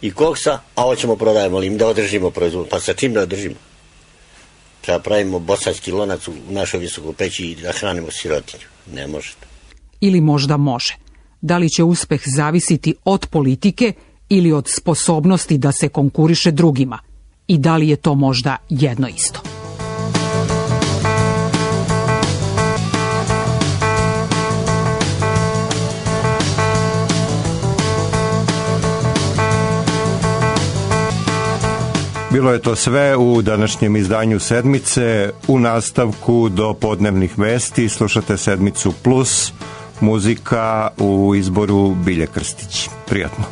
i koksa, a ovo ćemo prodajemo, ali im da održimo proizvod. Pa sa čim da održimo? Treba pravimo bosanski lonac u našoj visokoj peći i da hranimo sirotinju. Ne možete. Ili možda može. Da li će uspeh zavisiti od politike ili od sposobnosti da se konkuriše drugima? I da li je to možda jedno isto? Bilo je to sve u današnjem izdanju Sedmice. U nastavku do podnevnih vesti slušate Sedmicu Plus, muzika u izboru Bilje Krstić. Prijatno.